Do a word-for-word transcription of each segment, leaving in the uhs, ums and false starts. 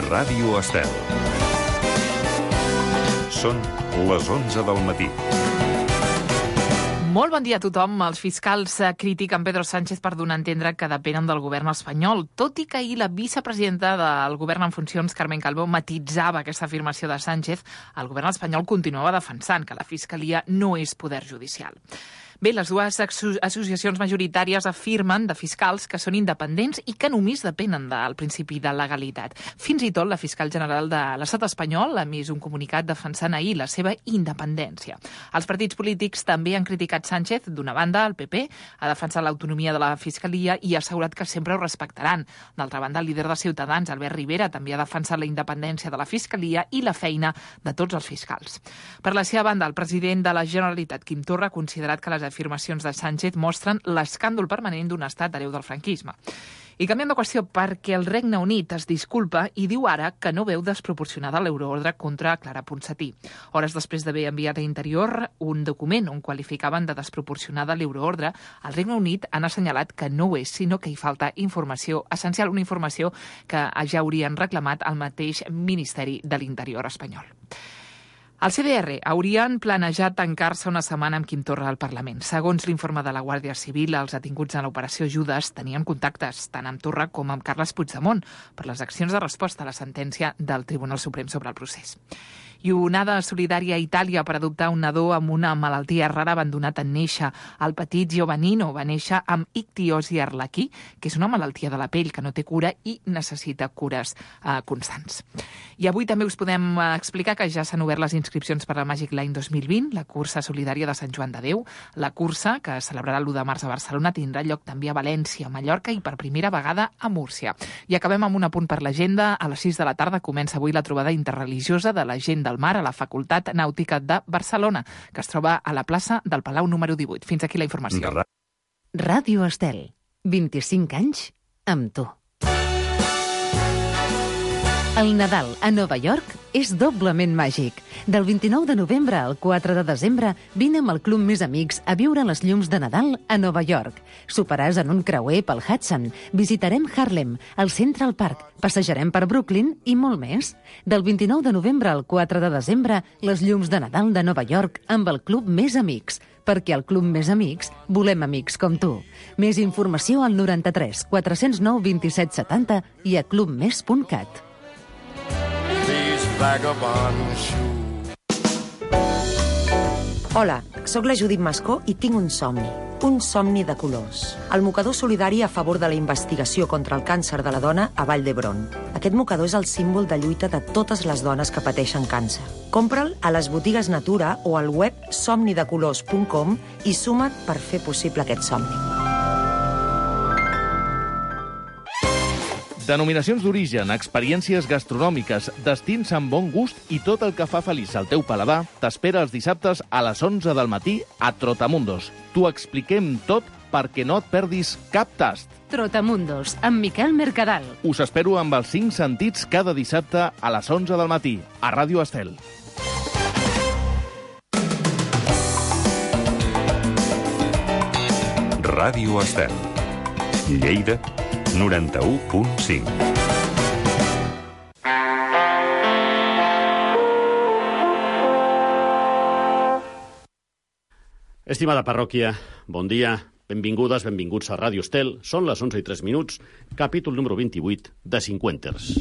Ràdio Estel. Són les onze del matí. Molt bon dia a tothom. Els fiscals critiquen Pedro Sánchez per donar a entendre que depenen del govern espanyol, tot i que ahir la vicepresidenta del govern en funcions, Carmen Calvo, matitzava aquesta afirmació de Sánchez. El govern espanyol continuava defensant que la Fiscalia no és poder judicial. Bé, les dues associacions majoritàries afirmen de fiscals que són independents i que només depenen del principi de legalitat. Fins i tot la fiscal general de l'Estat espanyol ha emès un comunicat defensant ahir la seva independència. Els partits polítics també han criticat Sánchez. D'una banda, el P P ha defensat l'autonomia de la Fiscalia i ha assegurat que sempre ho respectaran. D'altra banda, el líder de Ciutadans, Albert Rivera, també ha defensat la independència de la Fiscalia i la feina de tots els fiscals. Per la seva banda, el president de la Generalitat, Quim Torra, ha considerat que les afirmacions de Sánchez mostren l'escàndol permanent d'un estat hereu del franquisme. I canviem de qüestió perquè el Regne Unit es disculpa i diu ara que no veu desproporcionada l'euroordre contra Clara Ponsatí. Hores després d'haver enviat a Interior un document on qualificaven de desproporcionada l'euroordre, el Regne Unit han assenyalat que no ho és, sinó que hi falta informació essencial, una informació que ja haurien reclamat al mateix Ministeri de l'Interior espanyol. El C D R haurien planejat tancar-se una setmana amb Quim Torra al Parlament. Segons l'informe de la Guàrdia Civil, els detinguts en l'operació Judes tenien contactes tant amb Torra com amb Carles Puigdemont per les accions de resposta a la sentència del Tribunal Suprem sobre el procés. I onada solidària a Itàlia per adoptar un nadó amb una malaltia rara abandonat en néixer. El petit Giovannino va néixer amb ictiosi arlequí, que és una malaltia de la pell que no té cura i necessita cures eh, constants. I avui també us podem eh, explicar que ja s'han obert les inscripcions per la Magic Line dos mil vint, la cursa solidària de Sant Joan de Déu. La cursa, que es celebrarà l'u de març a Barcelona, tindrà lloc també a València, a Mallorca i per primera vegada a Múrcia. I acabem amb un apunt per l'agenda. A les sis de la tarda comença avui la trobada interreligiosa de la gent del mar a la Facultat Nàutica de Barcelona, que es troba a la plaça del Palau número divuit. Fins aquí la informació. Ràdio Estel. vint-i-cinc anys amb tu. El Nadal a Nova York és doblement màgic. Del vint-i-nou de novembre al quatre de desembre, vine amb el Club Més Amics a viure les llums de Nadal a Nova York. Soparàs en un creuer pel Hudson, visitarem Harlem, el Central Park, passejarem per Brooklyn i molt més. Del vint-i-nou de novembre al quatre de desembre, les llums de Nadal de Nova York amb el Club Més Amics, perquè al Club Més Amics volem amics com tu. Més informació al noranta-tres quatre zero nou vint-i-set setanta i a clubmes punt cat. Hola, sóc la Judit Mascó i tinc un somni. Un somni de colors. El mocador solidari a favor de la investigació contra el càncer de la dona a Vall d'Hebron. Aquest mocador és el símbol de lluita de totes les dones que pateixen càncer. Compra'l a les botigues Natura o al web somni de colors punt com i suma't per fer possible aquest somni. Denominacions d'origen, experiències gastronòmiques, destins amb bon gust i tot el que fa feliç al teu paladar t'espera els dissabtes a les onze del matí a Trotamundos. T'ho expliquem tot perquè no et perdis cap tast. Trotamundos, amb Miquel Mercadal. Us espero amb els cinc sentits cada dissabte a les onze del matí a Ràdio Estel. Ràdio Estel. Lleida, noranta-u punt cinc. Estimada parròquia, bon dia, benvingudes, benvinguts a Ràdio Estel. Són les onze i tres minuts, capítol número vint-i-vuit de Cinquenters.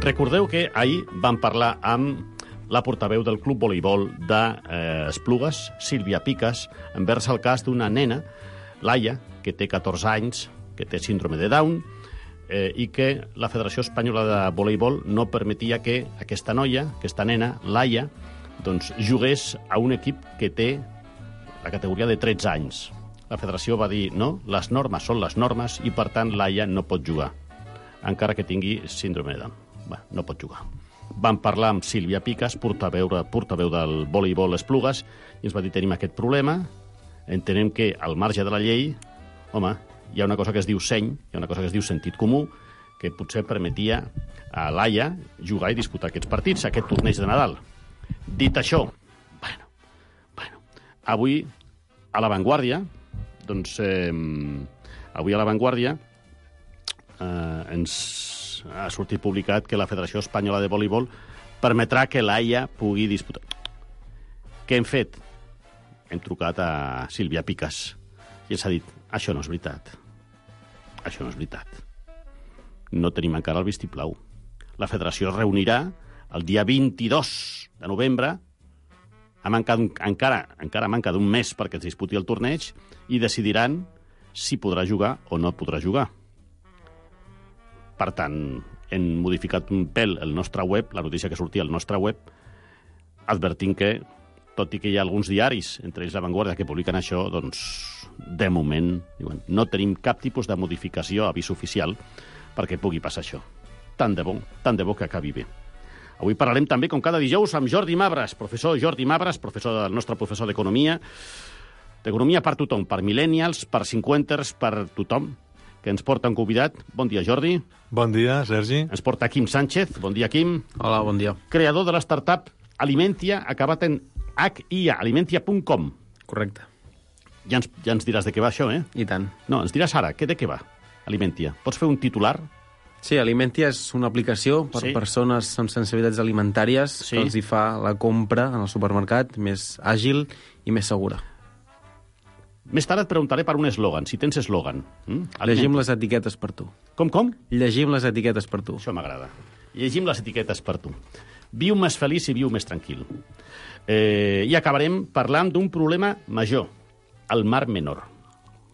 Recordeu que ahir vam parlar amb la portaveu del Club Voleibol d'Esplugues, eh, Sílvia Picas, envers el cas d'una nena, Laia, que té catorze anys, que té síndrome de Down, eh, i que la Federació Espanyola de Voleibol no permetia que aquesta noia, aquesta nena, Laia, doncs, jugués a un equip que té la categoria de tretze anys. La federació va dir, no, les normes són les normes i, per tant, Laia no pot jugar, encara que tingui síndrome de Down. Bé, no pot jugar. Vam parlar amb Sílvia Picas, portaveu, portaveu del voleibol Esplugues, i ens va dir, tenim aquest problema, entenem que al marge de la llei, home, hi ha una cosa que es diu seny, hi ha una cosa que es diu sentit comú, que potser permetia a l'Haia jugar i disputar aquests partits, aquest torneig de Nadal. Dit això, bueno, bueno, avui a La Vanguardia, doncs, eh, avui a La Vanguardia eh, ens ha sortit publicat que la Federació Espanyola de Voleibol permetrà que l'Haia pugui disputar. Què hem fet? Hem trucat a Sílvia Picas i ens ha dit, això no és veritat. Això no és veritat. No tenim encara el vistiplau. La federació es reunirà el dia vint-i-dos de novembre, ha mancat un, encara, encara manca d'un mes perquè es disputi el torneig, i decidiran si podrà jugar o no podrà jugar. Per tant, hem modificat un pèl el nostre web, la notícia que sortia al nostre web, advertint que, tot i que hi ha alguns diaris, entre ells La Vanguardia, que publiquen això, doncs, de moment, diuen, no tenim cap tipus de modificació, avís oficial, perquè pugui passar això. Tant de bo, tant de bo que acabi bé. Avui parlarem també, com cada dijous, amb Jordi Mabras, professor Jordi Mabras, professor del nostre professor d'Economia, d'Economia per tothom, per millennials, per cinquanters, per tothom, que ens porta un convidat. Bon dia, Jordi. Bon dia, Sergi. Ens porta Quim Sánchez. Bon dia, Quim. Hola, bon dia. Creador de l'startup Alimentia, acabat en H I A, alimentia punt com. Correcte. Ja ens, ja ens diràs de què va això, eh? I tant. No, ens diràs ara, què, de què va, Alimentia? Pots fer un titular? Sí, Alimentia és una aplicació per Sí. persones amb sensibilitats alimentàries Sí. que els hi fa la compra en el supermercat més àgil i més segura. Més tard et preguntaré per un eslògan, si tens eslògan. Mm? Llegim les etiquetes per tu. Com, com? Llegim les etiquetes per tu. Això m'agrada. Llegim les etiquetes per tu. Viu més feliç i viu més tranquil. Eh, I acabarem parlant d'un problema major, el Mar Menor.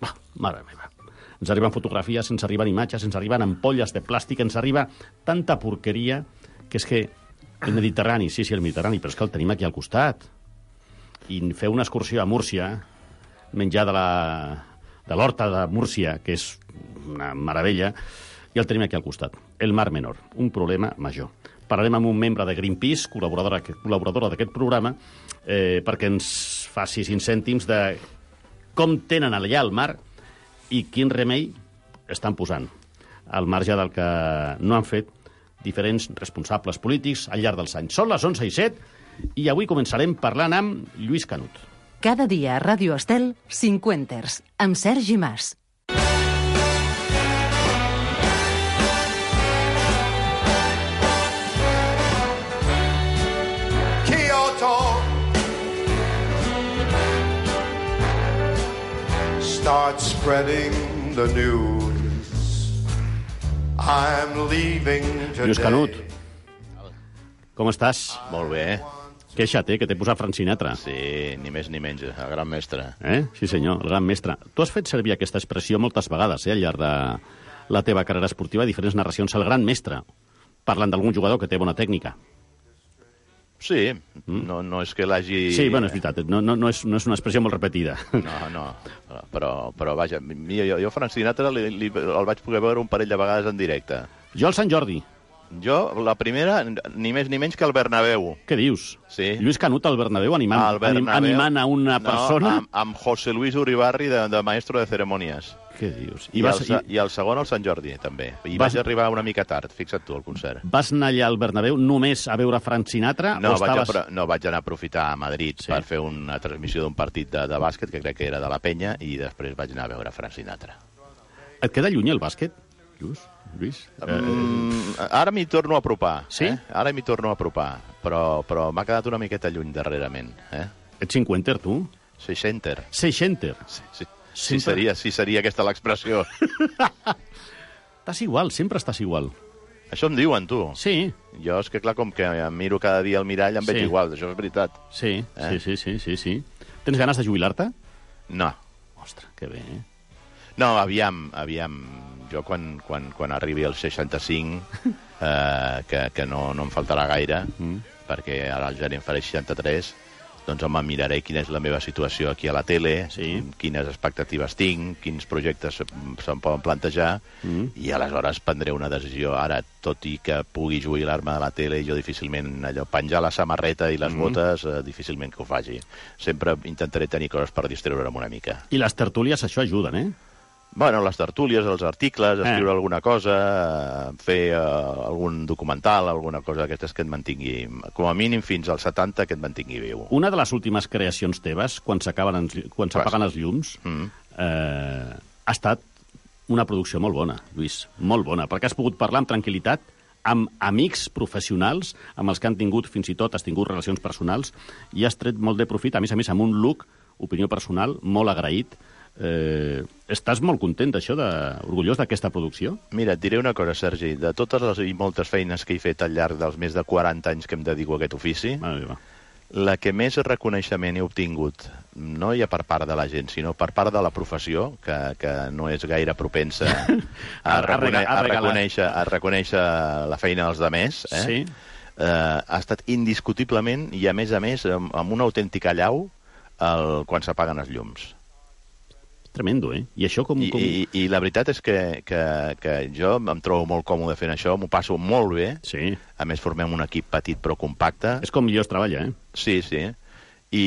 Va, mare meva. Ens arriben fotografies, ens arriben imatges, ens arriben ampolles de plàstic, ens arriba tanta porqueria que és que el Mediterrani, sí, sí, el Mediterrani, però és que el tenim aquí al costat. I fer una excursió a Múrcia, menjar de la de l'horta de Múrcia, que és una meravella, i el tenim aquí al costat. El Mar Menor, un problema major. Parlarem amb un membre de Greenpeace, col·laboradora, col·laboradora d'aquest programa, eh, perquè ens faci cinc cèntims de com tenen allà el mar i quin remei estan posant, al marge del que no han fet diferents responsables polítics al llarg dels anys. Són les onze i set i avui començarem parlant amb Lluís Canut. Cada dia a Ràdio Estel, Cinquenters, amb Sergi Mas. Start spreading the news. I'm leaving today. Lluís Canut, com estàs? Molt bé. Queixa't, eh, que t'he posat Frank Sinatra. Sí, ni més ni menys, el gran mestre. Eh? Sí, senyor, el gran mestre. Tu has fet servir aquesta expressió moltes vegades, eh, al llarg de la teva carrera esportiva, diferents narracions, el gran mestre, parlant d'algun jugador que té bona tècnica. Sí, no, no és que l'hagi... Sí, bueno, és veritat, no, no, no, és, no és una expressió molt repetida. No, no, però, però vaja, mira, jo, jo Frank Sinatra li, li, el vaig poder veure un parell de vegades en directe. Jo al Sant Jordi. Jo, la primera, ni més ni menys que al Bernabéu. Què dius? Sí. Lluís Canut al Bernabéu animant, Al Bernabéu. anim, animant a una persona? No, amb, amb José Luis Uribarri de, de maestro de cerimònies. Què dius? I, I, vas, el, i... I el segon al Sant Jordi, també. I vas... vaig arribar una mica tard, fixa't tu, al concert. Vas anar allà al Bernabéu només a veure Frank Sinatra? No, o estaves... vaig, a, no vaig anar a aprofitar a Madrid sí. per fer una transmissió d'un partit de, de bàsquet, que crec que era de la Penya, i després vaig anar a veure Frank Sinatra. Et queda lluny el bàsquet, Lluís? Lluís? Mm, ara m'hi torno a apropar. Sí? Eh? Ara m'hi torno a apropar, però, però m'ha quedat una miqueta lluny darrerament. Eh? Ets cinquenter, tu? Seixenter. Seixenter? Sí, sí. Sempre... Sí, seria, sí seria aquesta l'expressió. Estàs igual, sempre estàs igual. Això em diuen, tu. Sí. Jo és que, clar, com que em miro cada dia al mirall, em Sí. veig igual, això és veritat. Sí, Eh? sí, sí, sí, sí, sí. Tens ganes de jubilar-te? No. Ostres, que bé, eh? No, aviam, aviam. Jo, quan, quan, quan arribi als seixanta-cinc, eh, que, que no, no em faltarà gaire, mm. perquè ara el gener em faré seixanta-tres, doncs home, miraré quina és la meva situació aquí a la tele, sí. quines expectatives tinc, quins projectes se'm poden plantejar, mm. i aleshores prendré una decisió. Ara, tot i que pugui jubilar-me de la tele, jo difícilment, allò, penjar la samarreta i les mm. botes, eh, difícilment que ho faci. Sempre intentaré tenir coses per distreure'm una mica. I les tertúlies això ajuden, eh? Bueno, les tertúlies, els articles, escriure Eh. alguna cosa, fer uh, algun documental, alguna cosa d'aquestes que et mantingui, com a mínim fins als setanta, que et mantingui viu. Una de les últimes creacions teves, quan s'acaben els- quan s'apaguen els llums, Mm. eh, ha estat una producció molt bona, Lluís, molt bona, perquè has pogut parlar amb tranquil·litat amb amics professionals, amb els que han tingut, fins i tot, has tingut relacions personals, i has tret molt de profit, a més a més, amb un look, opinió personal, molt agraït. Eh, estàs molt content d'això, de, orgullós d'aquesta producció? Mira, et diré una cosa, Sergi. De totes les i moltes feines que he fet al llarg dels més de quaranta anys que em dedico a aquest ofici, Ah, la que més reconeixement he obtingut, no ja per part de la gent, sinó per part de la professió, que, que no és gaire propensa a, A recone rega- a a, regalar. reconèixer, a reconèixer la feina dels demés, eh? Sí. Eh, ha estat indiscutiblement, i a més a més, amb, amb una autèntica llau, el, quan s'apaguen els llums. Tremendo, eh? I això com... I, com... i, I la veritat és que, que, que jo em trobo molt còmode fent això, m'ho passo molt bé. Sí. A més, formem un equip petit però compacte. És com millor es treballa, eh? Sí, sí. I,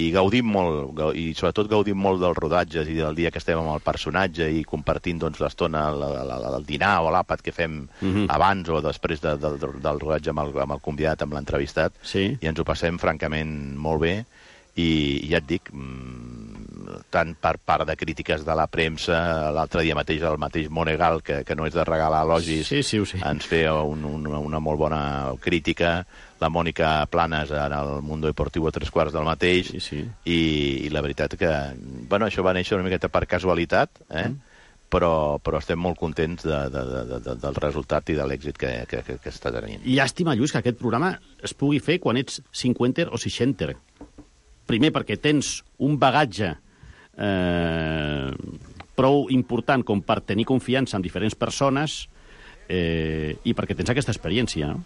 i gaudim molt, gau- i sobretot gaudim molt dels rodatges i del dia que estem amb el personatge i compartint doncs, l'estona, la- la- la- el dinar o l'àpat que fem Mhm. abans o després de, de, del rodatge amb el, amb el convidat, amb l'entrevistat, Sí. i ens ho passem francament molt bé. I ja et dic, mm, tant per part de crítiques de la premsa, l'altre dia mateix el mateix Monegal, que, que no és de regalar elogis, Sí, sí, ho sé. ens feia un, un, una molt bona crítica, la Mònica Planes en el Mundo Deportivo a tres quarts del mateix, Sí, sí. i, i la veritat que, bueno, això va néixer una miqueta per casualitat, eh? Mm. però, però estem molt contents de, de, de, de, del resultat i de l'èxit que, que, que, que està tenint. Llàstima, Lluís, que aquest programa es pugui fer quan ets cinquanta o seixanta. Primer, perquè tens un bagatge eh, prou important com per tenir confiança en diferents persones eh, i perquè tens aquesta experiència, no?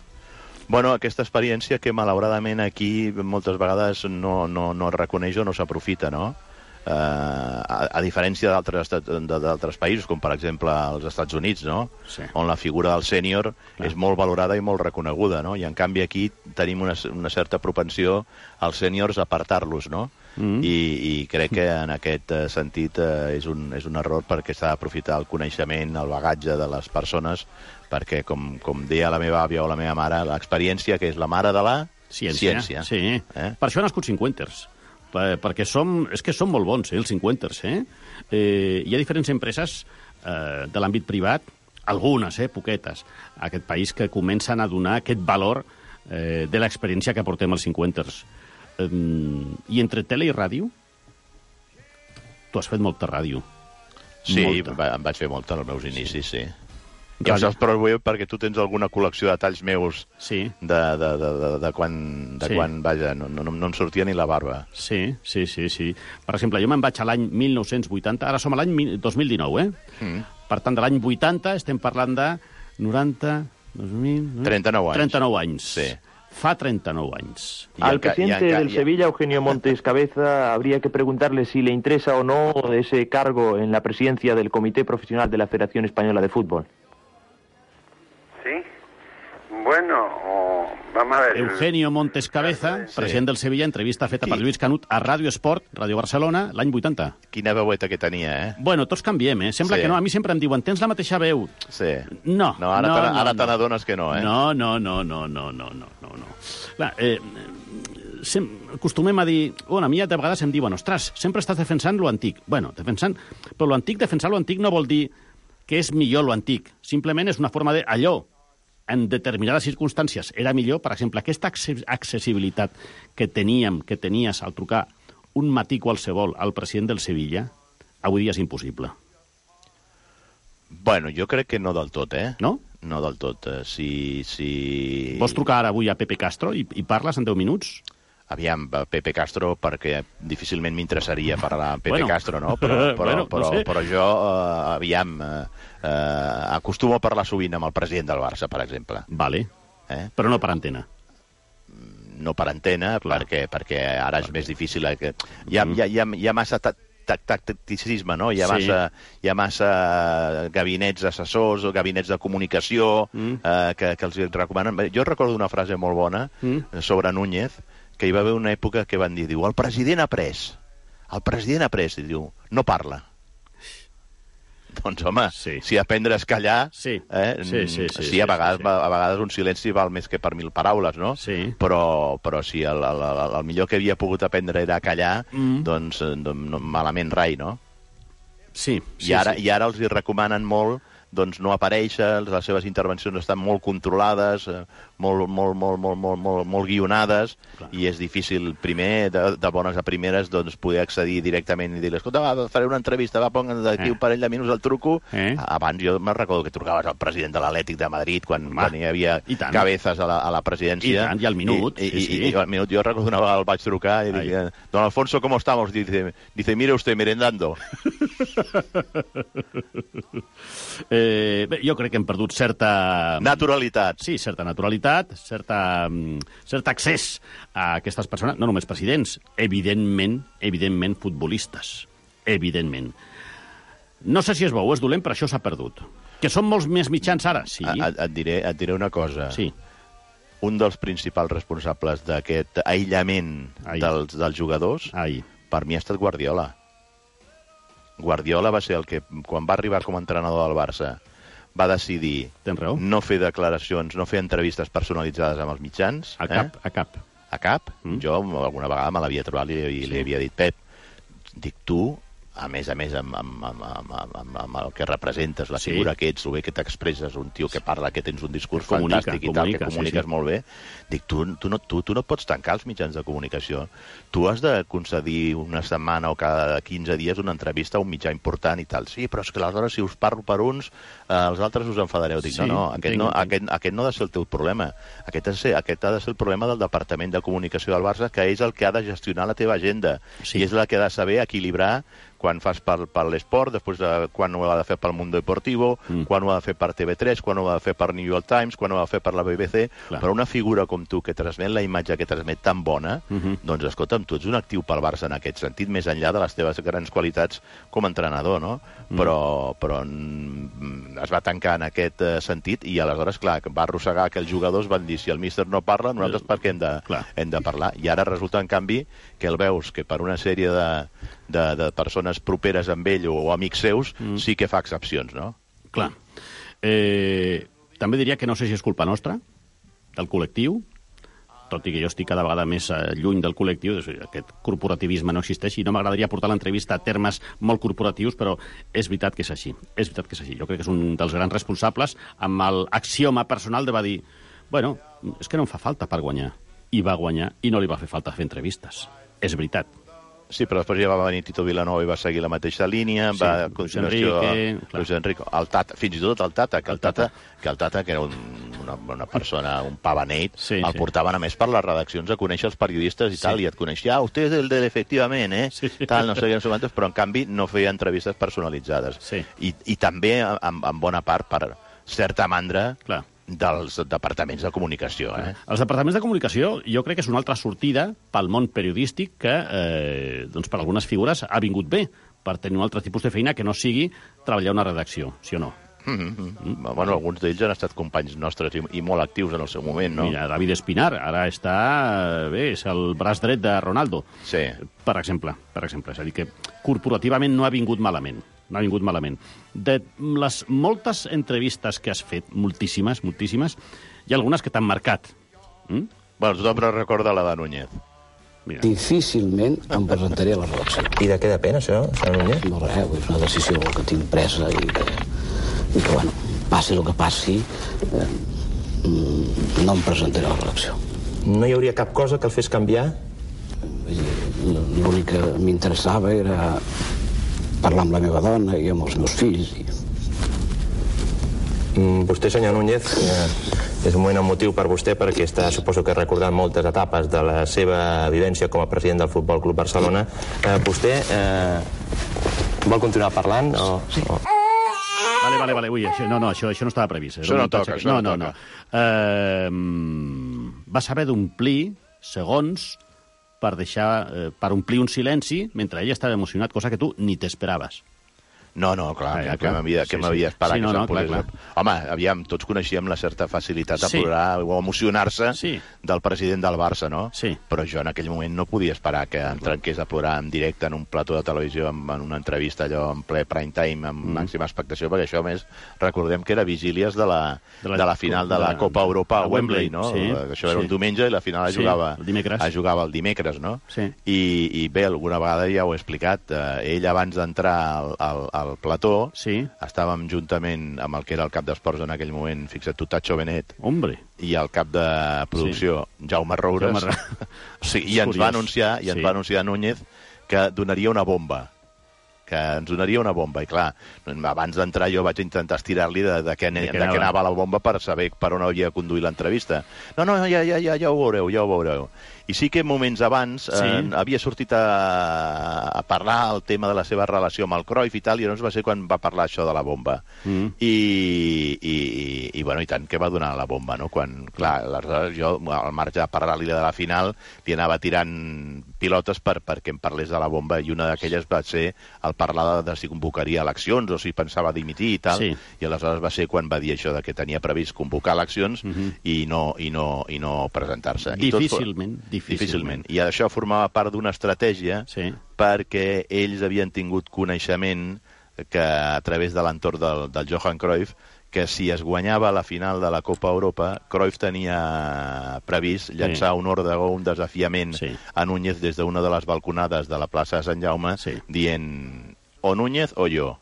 Bueno, aquesta experiència que malauradament aquí moltes vegades no, no, no es reconeix o no s'aprofita, no? Uh, a, a diferència d'altres estat- de- d'altres països, com per exemple als Estats Units, no? Sí. On la figura del sènior és molt valorada i molt reconeguda, no? I en canvi aquí tenim una, una certa propensió als sèniors a apartar-los, no? Mm. I, I crec que en aquest eh, sentit eh, és, un, és un error, perquè s'ha d'aprofitar el coneixement, el bagatge de les persones, perquè, com, com deia la meva àvia o la meva mare, l'experiència, que és la mare de la Ciència. ciència. Sí. Eh? Per això han nascut cinquanters. Per, perquè som, és que són molt bons, eh, els cinquanters. Eh? Eh, hi ha diferents empreses eh, de l'àmbit privat, algunes, eh, poquetes, a aquest país que comencen a donar aquest valor eh, de l'experiència que portem els cinquanters. Eh, I entre tele i ràdio, tu has fet molta ràdio. Sí, Molta. va, em vaig fer molta als meus inicis, sí. I Ràdio. em saps prou bé perquè tu tens alguna col·lecció de talls meus Sí. de, de, de, de, de quan, de Sí. quan vaja, no, no, no em sortia ni la barba. Sí, sí, sí, sí. Per exemple, jo me'n vaig a l'any mil nou-cents vuitanta, ara som a l'any mi- dos mil dinou, eh? Mm. Per tant, de l'any vuitanta estem parlant de noranta, dos mil... trenta-nou anys. trenta-nou anys. Sí. Fa trenta-nou anys. I Al enca- i presidente enca- del i- Sevilla, Eugenio Montes Cabeza, habría que preguntarle si le interesa o no ese cargo en la presidencia del Comité Profesional de la Federación Española de Fútbol. Sí. Bueno, o- vamos a ver. Eugenio Montes Cabeza, Sí. president del Sevilla, entrevista feta per Qui? Lluís Canut a Ràdio Esport, Ràdio Barcelona, l'any vuitanta. Quina veueta que tenia, eh? Bueno, tots canviem, eh? Sembla Sí. que no. A mi sempre em diuen, tens la mateixa veu. Sí. No, No, ara no, te- no, ara no. te n'adones que no, eh? No, no, no, no, no, no, no, no, no. Clar, eh, sem acostumem a dir... Bueno, a mi de vegades em diuen, ostres, sempre estàs defensant lo antic. Bueno, defensant... Però lo antic, defensar lo antic no vol dir que és millor lo antic. Simplement és una forma de... Allò, en determinades circumstàncies, era millor. Per exemple, aquesta acce- accessibilitat que teníem, que tenies al trucar un matí qualsevol al president del Sevilla, avui dia és impossible. Bueno, jo crec que no del tot, eh? No? No del tot. Eh, Si... si... Vols trucar ara avui a Pepe Castro i, i parles en deu minuts? Aviam, Pepe Castro, perquè difícilment m'interessaria parlar amb Pepe Bueno. Castro, no? Però, però, Bueno, no però, sé. però jo, eh, aviam, eh, eh, acostumo a parlar sovint amb el president del Barça, per exemple. Vale, Eh? però no per antena. No per antena, Clar. perquè, perquè ara és més difícil. eh, Que... Hi, ha, hi, ha, hi, ha, hi ha massa ta- ta- tacticisme, no? Hi ha, Sí. massa, hi ha massa gabinets assessors o gabinets de comunicació Mm. eh, que, que els recomanen. Jo recordo una frase molt bona Mm. sobre Núñez, que hi va haver una època que van dir, diu, el president ha pres, el president ha pres, i diu, no parla. doncs, home, sí. si aprendre és callar, sí. Eh, Sí, sí, sí, sí, a vegades, sí, sí. a vegades un silenci val més que per mil paraules, no? Sí. Però, però si el, el, el, el millor que havia pogut aprendre era callar, mm. doncs, doncs malament rai, no? Sí, sí, I ara, sí. I ara els hi recomanen molt doncs no aparèixer, les seves intervencions estan molt controlades, molt, molt, molt, molt, molt, molt, molt guionades, clar. I és difícil, primer, de, de bones a primeres, doncs, poder accedir directament i dir-li, escolta, va, faré una entrevista, va, ponga d'aquí eh. un parell de minuts el truco. Eh. Abans jo me'n recordo que trucaves al president de l'Atlètic de Madrid, quan, quan hi havia cabezas a la, a la presidència. I tant, i al minut. I, i, sí, sí. i, i al minut, jo recordo una vegada el vaig trucar i dic, don Alfonso, ¿cómo estamos? Dice, dice mire usted, merendando. Eh, bé, jo crec que hem perdut certa... Naturalitat. Sí, certa naturalitat, certa, cert accés a aquestes persones, no només presidents, evidentment, evidentment futbolistes, evidentment. No sé si és bo o és dolent, però això s'ha perdut. Que són molts més mitjans ara, sí. Et, et, diré, et diré una cosa. Sí. Un dels principals responsables d'aquest aïllament dels, dels jugadors, Ai. per mi ha estat Guardiola. Guardiola va ser el que, quan va arribar com a entrenador del Barça, va decidir no fer declaracions, no fer entrevistes personalitzades amb els mitjans. A cap, eh? a cap. A cap. Mm. Jo alguna vegada me l'havia trobat i li, sí. li havia dit, Pep, dic, tu, a més a més, amb, amb, amb, amb, amb, amb el que representes, la figura sí. que ets, el bé que t'expresses, un tio que parla, que tens un discurs comunica, fantàstic i comunica, tal, que comuniques sí, sí. molt bé, dic, tu, tu, no, tu, tu no pots tancar els mitjans de comunicació. Tu has de concedir una setmana o cada quinze dies una entrevista a un mitjà important i tal. Sí, però és que aleshores si us parlo per uns, eh, els altres us enfadareu. Dic, sí, no, no, aquest, entenc, no aquest, aquest no ha de ser el teu problema. Aquest ha, de ser, aquest ha de ser el problema del Departament de Comunicació del Barça, que és el que ha de gestionar la teva agenda. Sí. I és el que ha de saber equilibrar quan fas per, per l'esport, després de, quan ho ha de fer pel Mundo Deportivo, mm. quan ho ha de fer per T V tres, quan ho ha de fer per New York Times, quan ho ha de fer per la B B C. Clar. Però una figura com tu, que transmet la imatge que transmet tan bona, mm-hmm. doncs, escolta'm, tu ets un actiu pel Barça en aquest sentit, més enllà de les teves grans qualitats com a entrenador, no? Mm. Però, però mm, es va tancar en aquest uh, sentit i aleshores, clar, va arrossegar que els jugadors van dir, si el míster no parla, nosaltres per què hem de, hem de parlar? I ara resulta, en canvi, que el veus que per una sèrie de, de, de persones properes amb ell o, o amics seus, mm. sí que fa excepcions, no? Clar. Eh, també diria que no sé si és culpa nostra, del col·lectiu, tot i que jo estic cada vegada més lluny del col·lectiu, aquest corporativisme no existeix, i no m'agradaria portar l'entrevista a termes molt corporatius, però és veritat que és així. És veritat que és així. Jo crec que és un dels grans responsables amb l'axioma personal de va dir, bueno, és que no em fa falta per guanyar. I va guanyar i no li va fer falta fer entrevistes. És veritat. Sí, però després ja va venir Tito Vilanova i va seguir la mateixa línia, sí, va a continuació Enrique, Luis Enrique, el Tata, fins i tot el Tata, que el, el Tata, Tata, que el Tata, que era un, una, una persona, un pavaneit, sí, el sí. portaven a més per les redaccions a conèixer els periodistes i sí. tal, i et coneixia, ah, usted és el de l'efectivament, eh? Sí. Tal, no sé què, no sé quantos, però en canvi no feia entrevistes personalitzades. Sí. I, I també, en, en bona part, per certa mandra, clar, dels departaments de comunicació. Eh? Els departaments de comunicació jo crec que és una altra sortida pel món periodístic que, eh, doncs per algunes figures, ha vingut bé per tenir un altre tipus de feina que no sigui treballar una redacció, sí o no? Mm-hmm. Mm. Bueno, alguns d'ells han estat companys nostres i, i molt actius en el seu moment, no? Mira, David Espinar, ara està... bé, és el braç dret de Ronaldo. Sí. Per exemple, per exemple. És a dir, que corporativament no ha vingut malament. No ha vingut malament. De les moltes entrevistes que has fet, moltíssimes, moltíssimes, hi ha algunes que t'han marcat. Mm? Bueno, tothom recorda la de Núñez. Mira. Difícilment em presentaré a la redacció. I de què depèn, això, senyor Núñez? No res, és una decisió que tinc presa i que, i que bueno, passi el que passi, eh, no em presentaré a la redacció. No hi hauria cap cosa que el fes canviar? L'únic que m'interessava era parlar amb la meva dona i amb els meus fills. I... Mm, vostè, senyor Núñez, eh, és un moment emotiu per vostè perquè està, suposo que recordant moltes etapes de la seva vivència com a president del Futbol Club Barcelona. Eh, vostè eh, vol continuar parlant? O, sí. O... Vale, vale, vale. Ui, això, no, no, això, això no estava previst. Això no toca, això no, no, no toca. No. Uh, vas haver d'omplir segons per deixar, eh, per omplir un silenci mentre ell estava emocionat, cosa que tu ni t'esperaves. No, no, clar, Ah, ja, que clar. m'havia Sí, que sí. m'havia esperat Sí, no, que no, se'm posés... clar, Home, aviam, tots coneixíem la certa facilitat de Sí. plorar o emocionar-se Sí. del president del Barça, no? Sí. Però jo en aquell moment no podia esperar que em trenqués a plorar en directe en un plató de televisió, en, en una entrevista allò en ple prime time, amb mm. màxima expectació, perquè això, a més, recordem que era vigílies de la, de la, de la final de la de- Copa Europa a a Wembley, Wembley, no? sí, Això era sí. un diumenge i la final es Sí, jugava, el dimecres. es jugava el dimecres, no? Sí. I, I bé, alguna vegada ja ho he explicat, eh, ell abans d'entrar al, al, al plató, sí. estàvem juntament amb el que era el cap d'esports en aquell moment, fixa't tu, Tacho Benet, Hombre. i el cap de producció, sí. Jaume Roures, Jaume Ra- o sigui, i És ens va curiós. anunciar, i ens Sí. va anunciar Núñez que donaria una bomba que ens donaria una bomba, i clar, abans d'entrar jo vaig intentar estirar-li de, de, què, De de què què anava. anava la bomba per saber per on havia de conduir l'entrevista. No, no, ja, ja, ja, ja ho veureu, ja ho veureu. I sí que moments abans Sí. eh, havia sortit a, a parlar el tema de la seva relació amb el Cruyff i tal, i llavors va ser quan va parlar això de la bomba. Mm. I, i, i, i bueno, i tant que va donar la bomba, no? Quan, clar, aleshores jo, al marge de parlar-li de la final, li anava tirant pilotes per, perquè em parlés de la bomba, i una d'aquelles va ser el parlar de, de si convocaria eleccions o si pensava dimitir i tal, Sí. i aleshores va ser quan va dir això de que tenia previst convocar eleccions Mm -hmm. i no, i no, i no presentar-se. I tot fo- Difícilment, difícilment. Difícilment. I això formava part d'una estratègia sí. perquè ells havien tingut coneixement que a través de l'entorn del, del Johan Cruyff, que si es guanyava la final de la Copa Europa, Cruyff tenia previst llançar sí. un òrdego, un desafiament sí. a Núñez des d'una de les balconades de la plaça de Sant Jaume, sí. dient o Núñez o jo.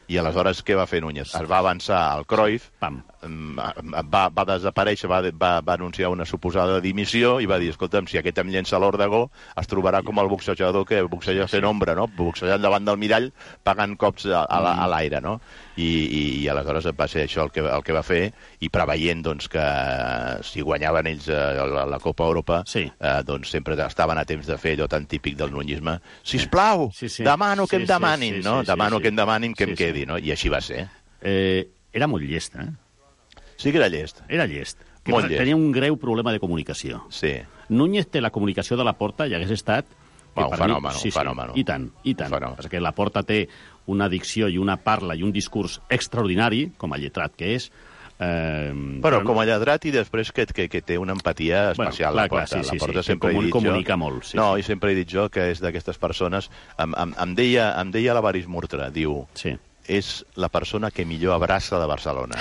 I aleshores què va fer Núñez? Es va avançar al Cruyff, Pam. va, va desaparèixer, va, va, va anunciar una suposada dimissió i va dir, escolta'm, si aquest em llença l'òrdego, es trobarà com el boxejador que boxeja fent ombra, no? Boxejant davant del mirall, pagant cops a, a, la- a l'aire, no? I, i, I aleshores va ser això el que, el que va fer, i preveient doncs, que si guanyaven ells eh, la, la Copa Europa, sí. eh, doncs sempre estaven a temps de fer allò tan típic del nuñisme. Sisplau, sí, sí. demano que Sí, em sí, demanin, sí, sí, no? sí, demano sí. que em demanin que Sí, em sí. quedi, no? I així va ser. Eh, era molt llest, eh? Sí que era llest. Era llest. Que Molt passa- llest. Tenia un greu problema de comunicació. Sí. Núñez té la comunicació de la Porta i hagués estat... que Va, un per fenòmeno, sí, un fenòmeno. Sí, I tant, i tant. Perquè la Porta té una dicció i una parla i un discurs extraordinari, com a lletrat que és. Eh, Però com a lladrat i després que, que, que té una empatia especial, Bueno, clar, la Porta. clar, sí, sí, la Porta sí, sempre que he dit comunica jo... molt, sí, no, sí. i sempre he dit jo que és d'aquestes persones... Em, em, em deia, em deia l'Avaris Murtra, diu... Sí. És la persona que millor abraça de Barcelona.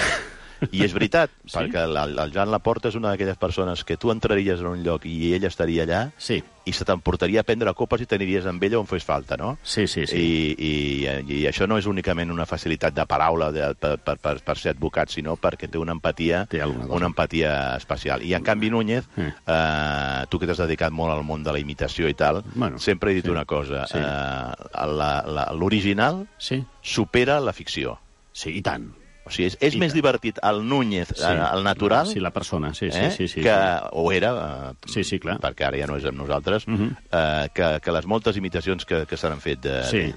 I és veritat, sí? perquè el, el Joan Laporta és una d'aquelles persones que tu entraries en un lloc i ell estaria allà sí. i se t'emportaria a prendre copes i t'aniries amb ella on fes falta, no? Sí, sí, sí. I, i, I això no és únicament una facilitat de paraula de, per, per, per, per ser advocat, sinó perquè té una empatia, una empatia especial. I en canvi Núñez, eh. Eh, tu que t'has dedicat molt al món de la imitació i tal, bueno, sempre he dit sí. una cosa, Sí. eh, l'original sí. supera la ficció. Sí, i tant. O sigui, és, és més divertit el Núñez, Sí. sí. el natural, Sí, la persona, sí, sí, eh? sí, sí, que, sí. o era, eh, Sí, sí, clar. perquè ara ja no és amb nosaltres, Uh -huh. eh, que, que les moltes imitacions que, que s'han fet de, Sí.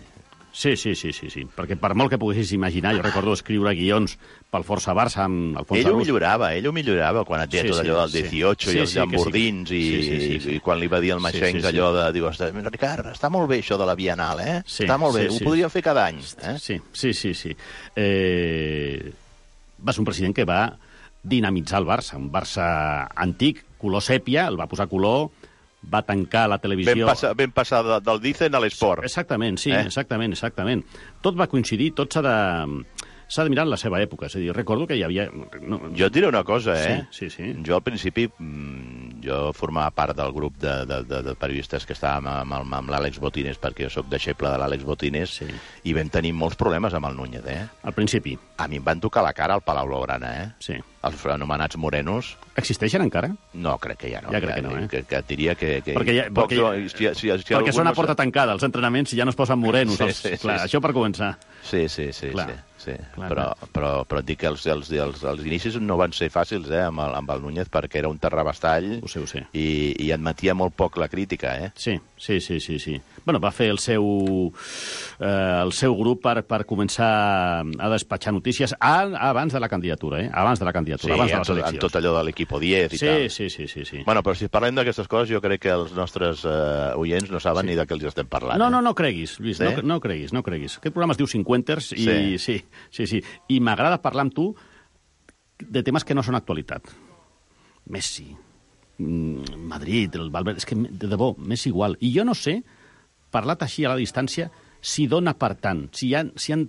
Sí, sí, sí, sí, sí, perquè per molt que poguessis imaginar, jo recordo escriure guions pel Força Barça amb Alfons Ell ho Arús. millorava, ell ho millorava quan et deia Sí, tot sí, allò del sí. dieciocho Sí, i els sí, que sí. llambordins i, Sí, sí, sí, sí. i quan li va dir al Maxencs Sí, sí, sí. allò de... Diu, Ricard, està molt bé això de la Bienal, eh? Sí, està molt bé, sí, sí. ho podríem fer cada any. Eh? Sí, sí, sí. sí. Eh, va ser un president que va dinamitzar el Barça, un Barça antic, color sèpia, el va posar color, va tancar la televisió... Vam passar, vam passar de, del Dicen a l'esport. Exactament, sí, Eh? exactament, exactament. Tot va coincidir, tot s'ha de... S'ha de mirar en la seva època. És a dir, recordo que hi havia... No, Jo et diré una cosa, eh? Sí, sí, sí. Jo al principi, mm, jo formava part del grup de, de, de, de periodistes que estàvem amb, amb, amb l'Àlex Botines, perquè jo sóc deixeble de l'Àlex Botines, sí. i vam tenir molts problemes amb el Núñez, eh? Al principi. A mi em van tocar la cara al Palau Blaugrana, eh? Sí. Els anomenats morenos. Existeixen encara? No, crec que ja no. Ja crec que no, eh? Que, que et diria que... que Perquè, ja, pocs- perquè, si, si, si, si perquè algun són a no porta sap- tancada, els entrenaments, i ja no es posen morenos. Sí, els... sí, sí, Clar, sí. això per començar. Sí, sí, sí, Clar. sí, sí. Clar, però, clar. però, però et dic que els, els, els, els inicis no van ser fàcils, eh, amb el, amb el Núñez, perquè era un terrabastall ho sé, ho sé. i, i admetia molt poc la crítica, eh? Sí, sí, sí, sí, sí. Bueno, va fer el seu, eh, el seu grup per, per començar a despatxar notícies a, abans de la candidatura, eh? Abans de la candidatura. candidatura Sí, abans de en les tot, eleccions. en tot allò de l'equipo diez i sí, tal. Sí, sí, sí, sí. Bueno, però si parlem d'aquestes coses, jo crec que els nostres uh, oients no saben Sí. ni de què els estem parlant. No, eh? no, no creguis, Lluís, Sí? no, no creguis, no creguis. Aquest programa es diu Cinquenters i Sí. sí, sí, sí. I m'agrada parlar amb tu de temes que no són actualitat. Messi, mm, Madrid, el Valverde... És que, de debò, m'és igual. I jo no sé, parlat així a la distància, si dona per tant, si, hi ha, si, han,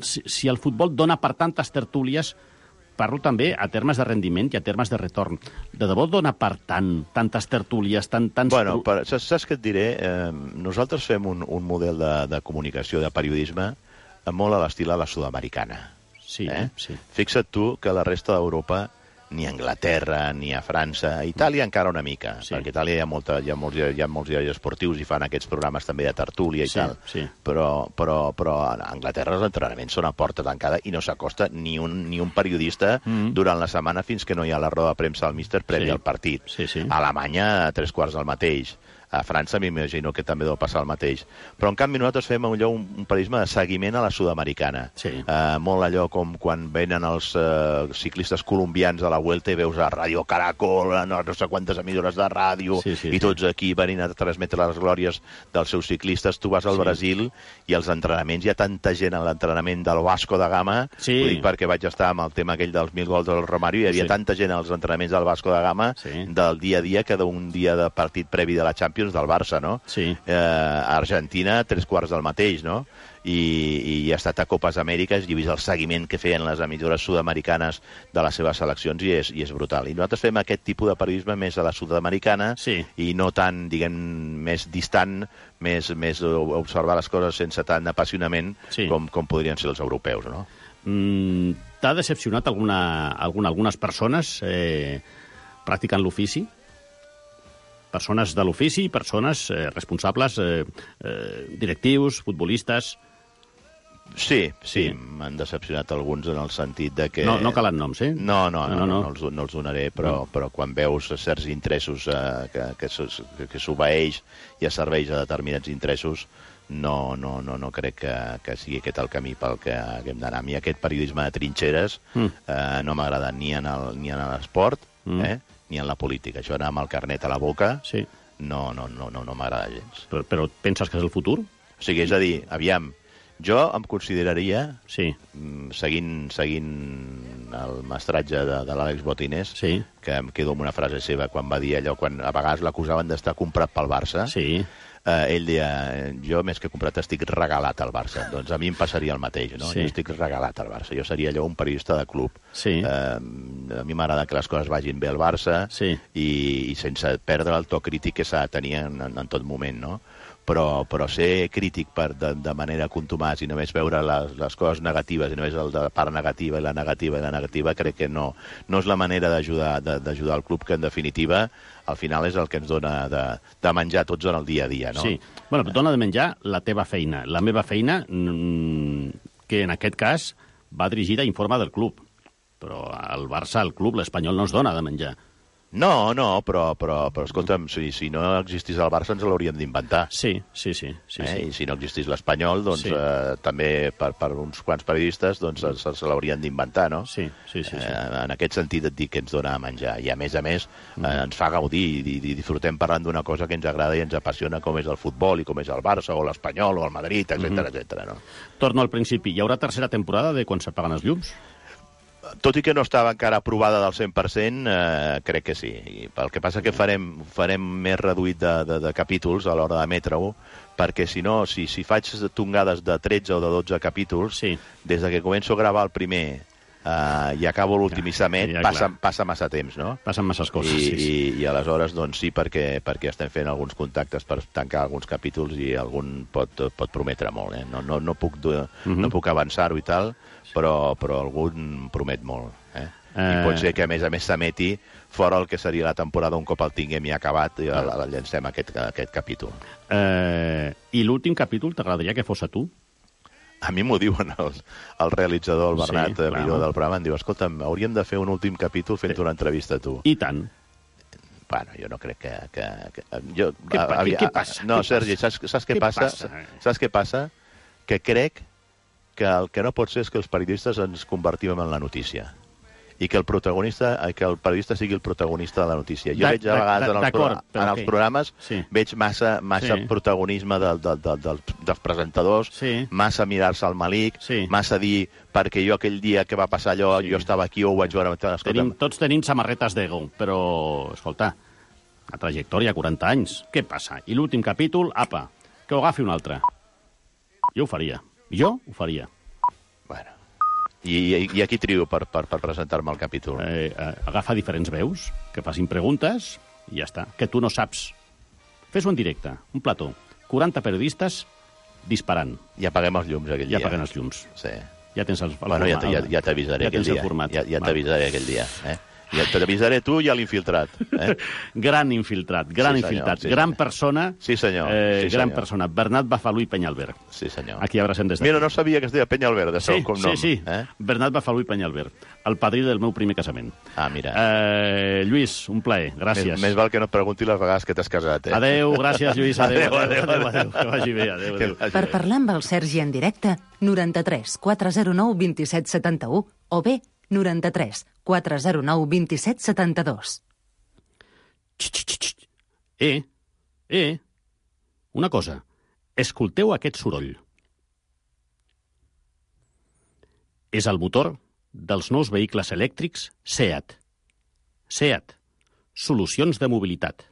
si, si el futbol dona per tantes tertúlies, parlo també a termes de rendiment i a termes de retorn. De debò dona per tant, tantes tertúlies, tant, tants... Bueno, per, saps, saps què et diré? Eh, nosaltres fem un, un model de, de comunicació, de periodisme, molt a l'estil a la sud-americana. Sí, eh? sí. Fixa't tu que la resta d'Europa, ni a Anglaterra, ni a França, a Itàlia encara una mica, sí. perquè a Itàlia hi ha, molta, hi, ha molts, hi ha molts diaris esportius i fan aquests programes també de tertúlia i Sí, tal, sí. però, però, però a Anglaterra els entrenaments són a porta tancada i no s'acosta ni un, ni un periodista mm. durant la setmana fins que no hi ha la roda de premsa del míster previ Sí. al partit. Sí, sí. A Alemanya, a tres quarts del mateix. A França m'imagino que també deu passar el mateix. Però, en canvi, nosaltres fem allò, un, un periodisme de seguiment a la sud-americana. Sí. Uh, molt allò com quan venen els uh, ciclistes colombians a la Vuelta i veus a Radio Caracol, a no, no sé quantes emissores de ràdio, Sí, sí, i tots aquí venint a transmetre les glòries dels seus ciclistes. Tu vas al Sí. Brasil i als entrenaments hi ha tanta gent a l'entrenament del Vasco da Gama, Sí. ho dic perquè vaig estar amb el tema aquell dels mil gols del Romario, hi havia Sí. tanta gent als entrenaments del Vasco da Gama Sí. del dia a dia que d'un dia de partit previ de la Champions del Barça, no? Sí. Eh, a Argentina, tres quarts del mateix, no? I, i he estat a Copes Amèriques i he vist el seguiment que feien les emissores sud-americanes de les seves seleccions i és, i és brutal. I nosaltres fem aquest tipus de periodisme més a la sud-americana Sí. i no tan, diguem, més distant, més, més observar les coses sense tant apassionament Sí. com, com podrien ser els europeus, no? Mm, T'ha decepcionat alguna, alguna, algunes persones eh, practicant l'ofici? Persones de l'ofici, persones eh, responsables, eh, eh, directius, futbolistes... Sí, sí, Sí. m'han decepcionat alguns en el sentit de que... No, no calen noms, eh? No, no, no, no, No, no, no, no. no, els, no els donaré, però, no. però quan veus certs interessos eh, que, que, s'os- que, que s'obeeix i es serveix a determinats interessos, no, no, no, no crec que, que sigui aquest el camí pel que haguem d'anar. A mi aquest periodisme de trinxeres Mm. eh, no m'agrada ni en el- ni en l'esport Mm. eh, ni en la política. Això anar amb el carnet a la boca Sí. no, no, no, no, no m'agrada gens. Però, però penses que és el futur? O sigui, és a dir, aviam, jo em consideraria, Sí. mm, seguint, seguint el mestratge de, de l'Àlex Botines, Sí. que em quedo amb una frase seva quan va dir allò, quan a vegades l'acusaven d'estar comprat pel Barça, Sí. eh, ell deia, jo més que comprat estic regalat al Barça. Doncs a mi em passaria el mateix, no? Sí. Jo estic regalat al Barça. Jo seria allò un periodista de club. Sí. Eh, a mi m'agrada que les coses vagin bé al Barça Sí. i, i sense perdre el to crític que s'ha de tenir en, en, en tot moment, no? Però, però ser crític per, de, de manera contumàs i només veure les, les coses negatives i només el de la part negativa i la negativa i la negativa, crec que no, no és la manera d'ajudar de- d'ajudar el club, que en definitiva al final és el que ens dona de, de menjar tots en el dia a dia, no? Sí. Bueno, però dona de menjar la teva feina. La meva feina, mm, que en aquest cas va dirigida a informe del club. Però al Barça, al club, l'Espanyol no ens dona de menjar. No, no, però, però, però escolta'm, si, si no existís el Barça ens l'hauríem d'inventar. Sí, sí, sí. sí, eh? sí. I si no existís l'Espanyol, doncs Sí. eh, també per, per uns quants periodistes doncs, se, se l'haurien d'inventar, no? Sí, sí, sí. sí. Eh, en aquest sentit et dic que ens dona a menjar. I a més a més eh, ens fa gaudir i, i, i disfrutem parlant d'una cosa que ens agrada i ens apassiona, com és el futbol i com és el Barça o l'Espanyol o el Madrid, etcètera, etcètera, no? Torno al principi. Hi haurà tercera temporada de quan s'apaguen els llums? Tot i que no estava encara aprovada del cent per cent, eh, crec que sí. I el que passa que farem, farem més reduït de, de, de capítols a l'hora d'emetre-ho, perquè si no, si, si faig tongades de tretze o de dotze capítols, sí. des de que començo a gravar el primer uh, i acabo l'últim i s'emet, ja, passa, clar. passa massa temps, no? Passen masses coses, I, sí, sí. I, I aleshores, doncs sí, perquè, perquè estem fent alguns contactes per tancar alguns capítols i algun pot, pot prometre molt, eh? No, no, no puc, uh -huh. no puc avançar-ho i tal, però, però algun promet molt, eh? I Eh. pot ser que, a més a més, s'emeti fora el que seria la temporada un cop el tinguem ja acabat i el, el llancem aquest, aquest capítol. Eh, I l'últim capítol t'agradaria que fos a tu? A mi m'ho diuen el, el realitzador, el Bernat, Sí, sí, clar. millor del programa, em diu, escolta'm, hauríem de fer un últim capítol fent una entrevista a tu. I tant. Bueno, jo no crec que... que, que jo, Què pa- avi- què passa? No, Què Sergi, passa? saps, saps què, Què passa? passa? Saps què passa? Que crec que el que no pot ser és que els periodistes ens convertim en la notícia. i que el protagonista, que el periodista sigui el protagonista de la notícia. Jo De- veig a vegades en els, pro, d'acord, però en els què? programes Sí. veig massa, massa Sí. protagonisme del, del, del, del, dels presentadors, Sí. massa mirar-se al malic, Sí. massa dir perquè jo aquell dia que va passar allò, jo estava aquí o ho vaig veure... Escolta, Tenim, tots tenim samarretes d'ego, però, escolta, la trajectòria, quaranta anys, què passa? I l'últim capítol, apa, que ho agafi un altre. Jo ho faria. Jo ho faria. Bueno. I, i, i aquí trio per, per, per presentar-me al capítol. Eh, eh, agafa diferents veus, que facin preguntes, i ja està. Que tu no saps. Fes-ho en directe, un plató. quaranta periodistes disparant. I apaguem els llums aquell I dia. apaguem els llums. Sí. Ja tens el, el Bueno, ja, format, ja, ja t'avisaré ja aquell tens el dia. format. Ja, ja Val. t'avisaré aquell dia. Eh? Ja t'avisaré tu i a l'infiltrat. Eh? Gran infiltrat, gran Sí, senyor, infiltrat, sí, gran senyor. persona. Sí, senyor. Eh, Sí, gran senyor. persona. Bernat Bafalú i Penyalver. Sí, senyor. Aquí abracem des de... Mira, no sabia que es deia Penyalver, de Sí, segon cognom. sí, sí. Eh? Bernat Bafalú i Penyalver. El padrí del meu primer casament. Ah, mira. Eh, Lluís, un plaer. Gràcies. Més, més val que no et pregunti les vegades que t'has casat, eh? Adéu, gràcies, Lluís. Adéu, Adéu, adéu, adéu, adéu, adéu. Que vagi bé, adéu, adéu. Per parlar amb el Sergi en directe, noranta-tres quatre zero nou vint set setanta-u o bé noranta-tres quatre zero nou vint set setanta-dos. Eh, eh, una cosa. Escolteu aquest soroll. És el motor dels nous vehicles elèctrics SEAT. SEAT. Solucions de mobilitat.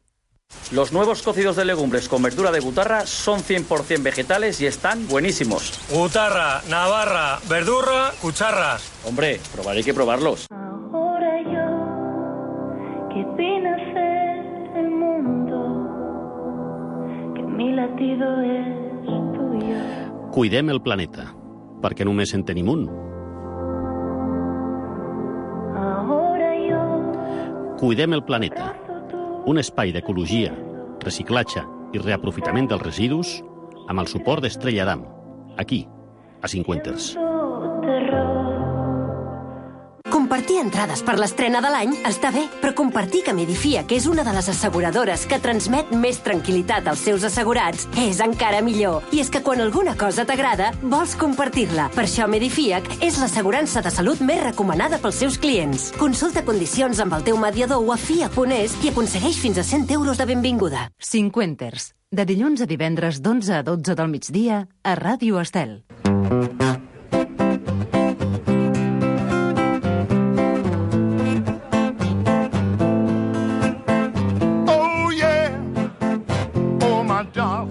Los nuevos cocidos de legumbres con verdura de butarra son cien por ciento vegetales y están buenísimos. Butarra, navarra, verdurra, cucharras. Hombre, probaré que probarlos. Ahora yo, que vine a ser el mundo, que mi latido es tuyo. Cuidem el planeta, perquè només en tenim un. Ahora yo, Cuidem el planeta, un espai d'ecologia, reciclatge i reaprofitament dels residus amb el suport d'Estrella Damm, aquí, a Cinquenters. terror. Compartir entrades per l'estrena de l'any està bé, però compartir que Medifia, que és una de les asseguradores que transmet més tranquil·litat als seus assegurats, és encara millor. I és que quan alguna cosa t'agrada, vols compartir-la. Per això Medifiac és l'assegurança de salut més recomanada pels seus clients. Consulta condicions amb el teu mediador o a F I A punt es i aconsegueix fins a cent euros de benvinguda. Cinquenters, de dilluns a divendres d'onze a dotze del migdia a Ràdio Estel.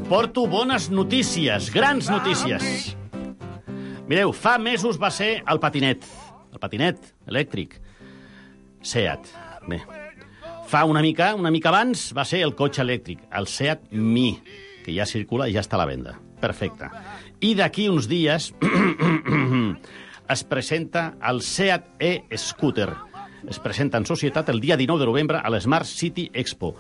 Porto bones notícies, grans notícies. Mireu, fa mesos va ser el patinet, el patinet elèctric, SEAT. Bé, fa una mica, una mica abans va ser el cotxe elèctric, el SEAT Mi, que ja circula i ja està a la venda. Perfecte. I d'aquí uns dies es presenta el SEAT e-Scooter. Es presenta en societat el dia dinou de novembre a l'Smart City Expo.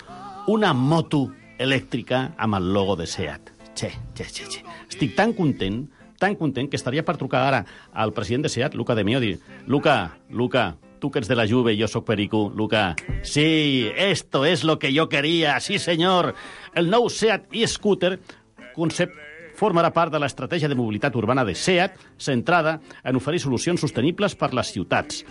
Una moto elèctrica amb el logo de SEAT. Che, che, che, che. Estic tan content, tan content, que estaria per trucar ara al president de SEAT, Luca De Meo, dir, Luca, Luca, tu que ets de la Juve i jo soc perico, Luca, sí, esto es lo que yo quería, sí senyor. El nou SEAT e-Scooter concept formarà part de l'estratègia de mobilitat urbana de SEAT, centrada en oferir solucions sostenibles per les ciutats.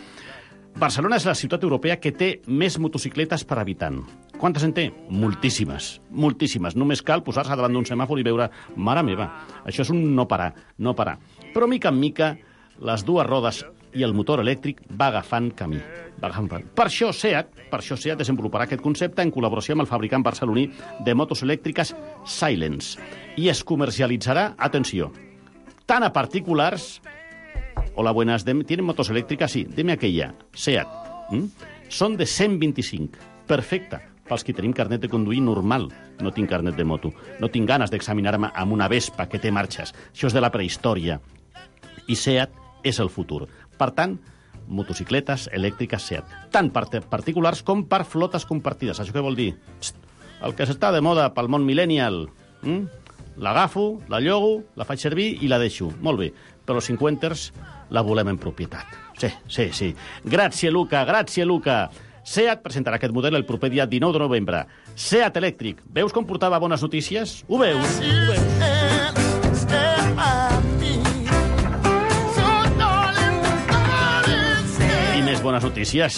Barcelona és la ciutat europea que té més motocicletes per habitant. Quantes en té? Moltíssimes, moltíssimes. Només cal posar-se davant d'un semàfor i veure, mare meva, això és un no parar, no parar. Però mica en mica, les dues rodes i el motor elèctric va agafant camí. Va agafant camí. Per això SEAT, per això SEAT desenvoluparà aquest concepte en col·laboració amb el fabricant barceloní de motos elèctriques Silence i es comercialitzarà, atenció, tant a particulars. Hola, buenas. ¿Tienen motos eléctricas? Sí. Deme aquella. SEAT. ¿Mm? Són de cent vint-i-cinc. Perfecte. Pels que tenim carnet de conduir normal. No tinc carnet de moto. No tinc ganes d'examinar-me amb una Vespa que té marxes. Això és de la prehistòria. I SEAT és el futur. Per tant, motocicletes elèctriques SEAT. Tant per particulars com per flotes compartides. Això què vol dir? Psst, el que s'està de moda pel món millennial. Mm? L'agafo, la llogo, la faig servir i la deixo. Molt bé. Però els cinquenters la volem en propietat. Sí, sí, sí. Gràcies, Luca, gràcies, Luca. SEAT presentarà aquest model el proper dia dinou de novembre. SEAT elèctric. Veus com portava bones notícies? Ho veus? Ho veus? I més bones notícies.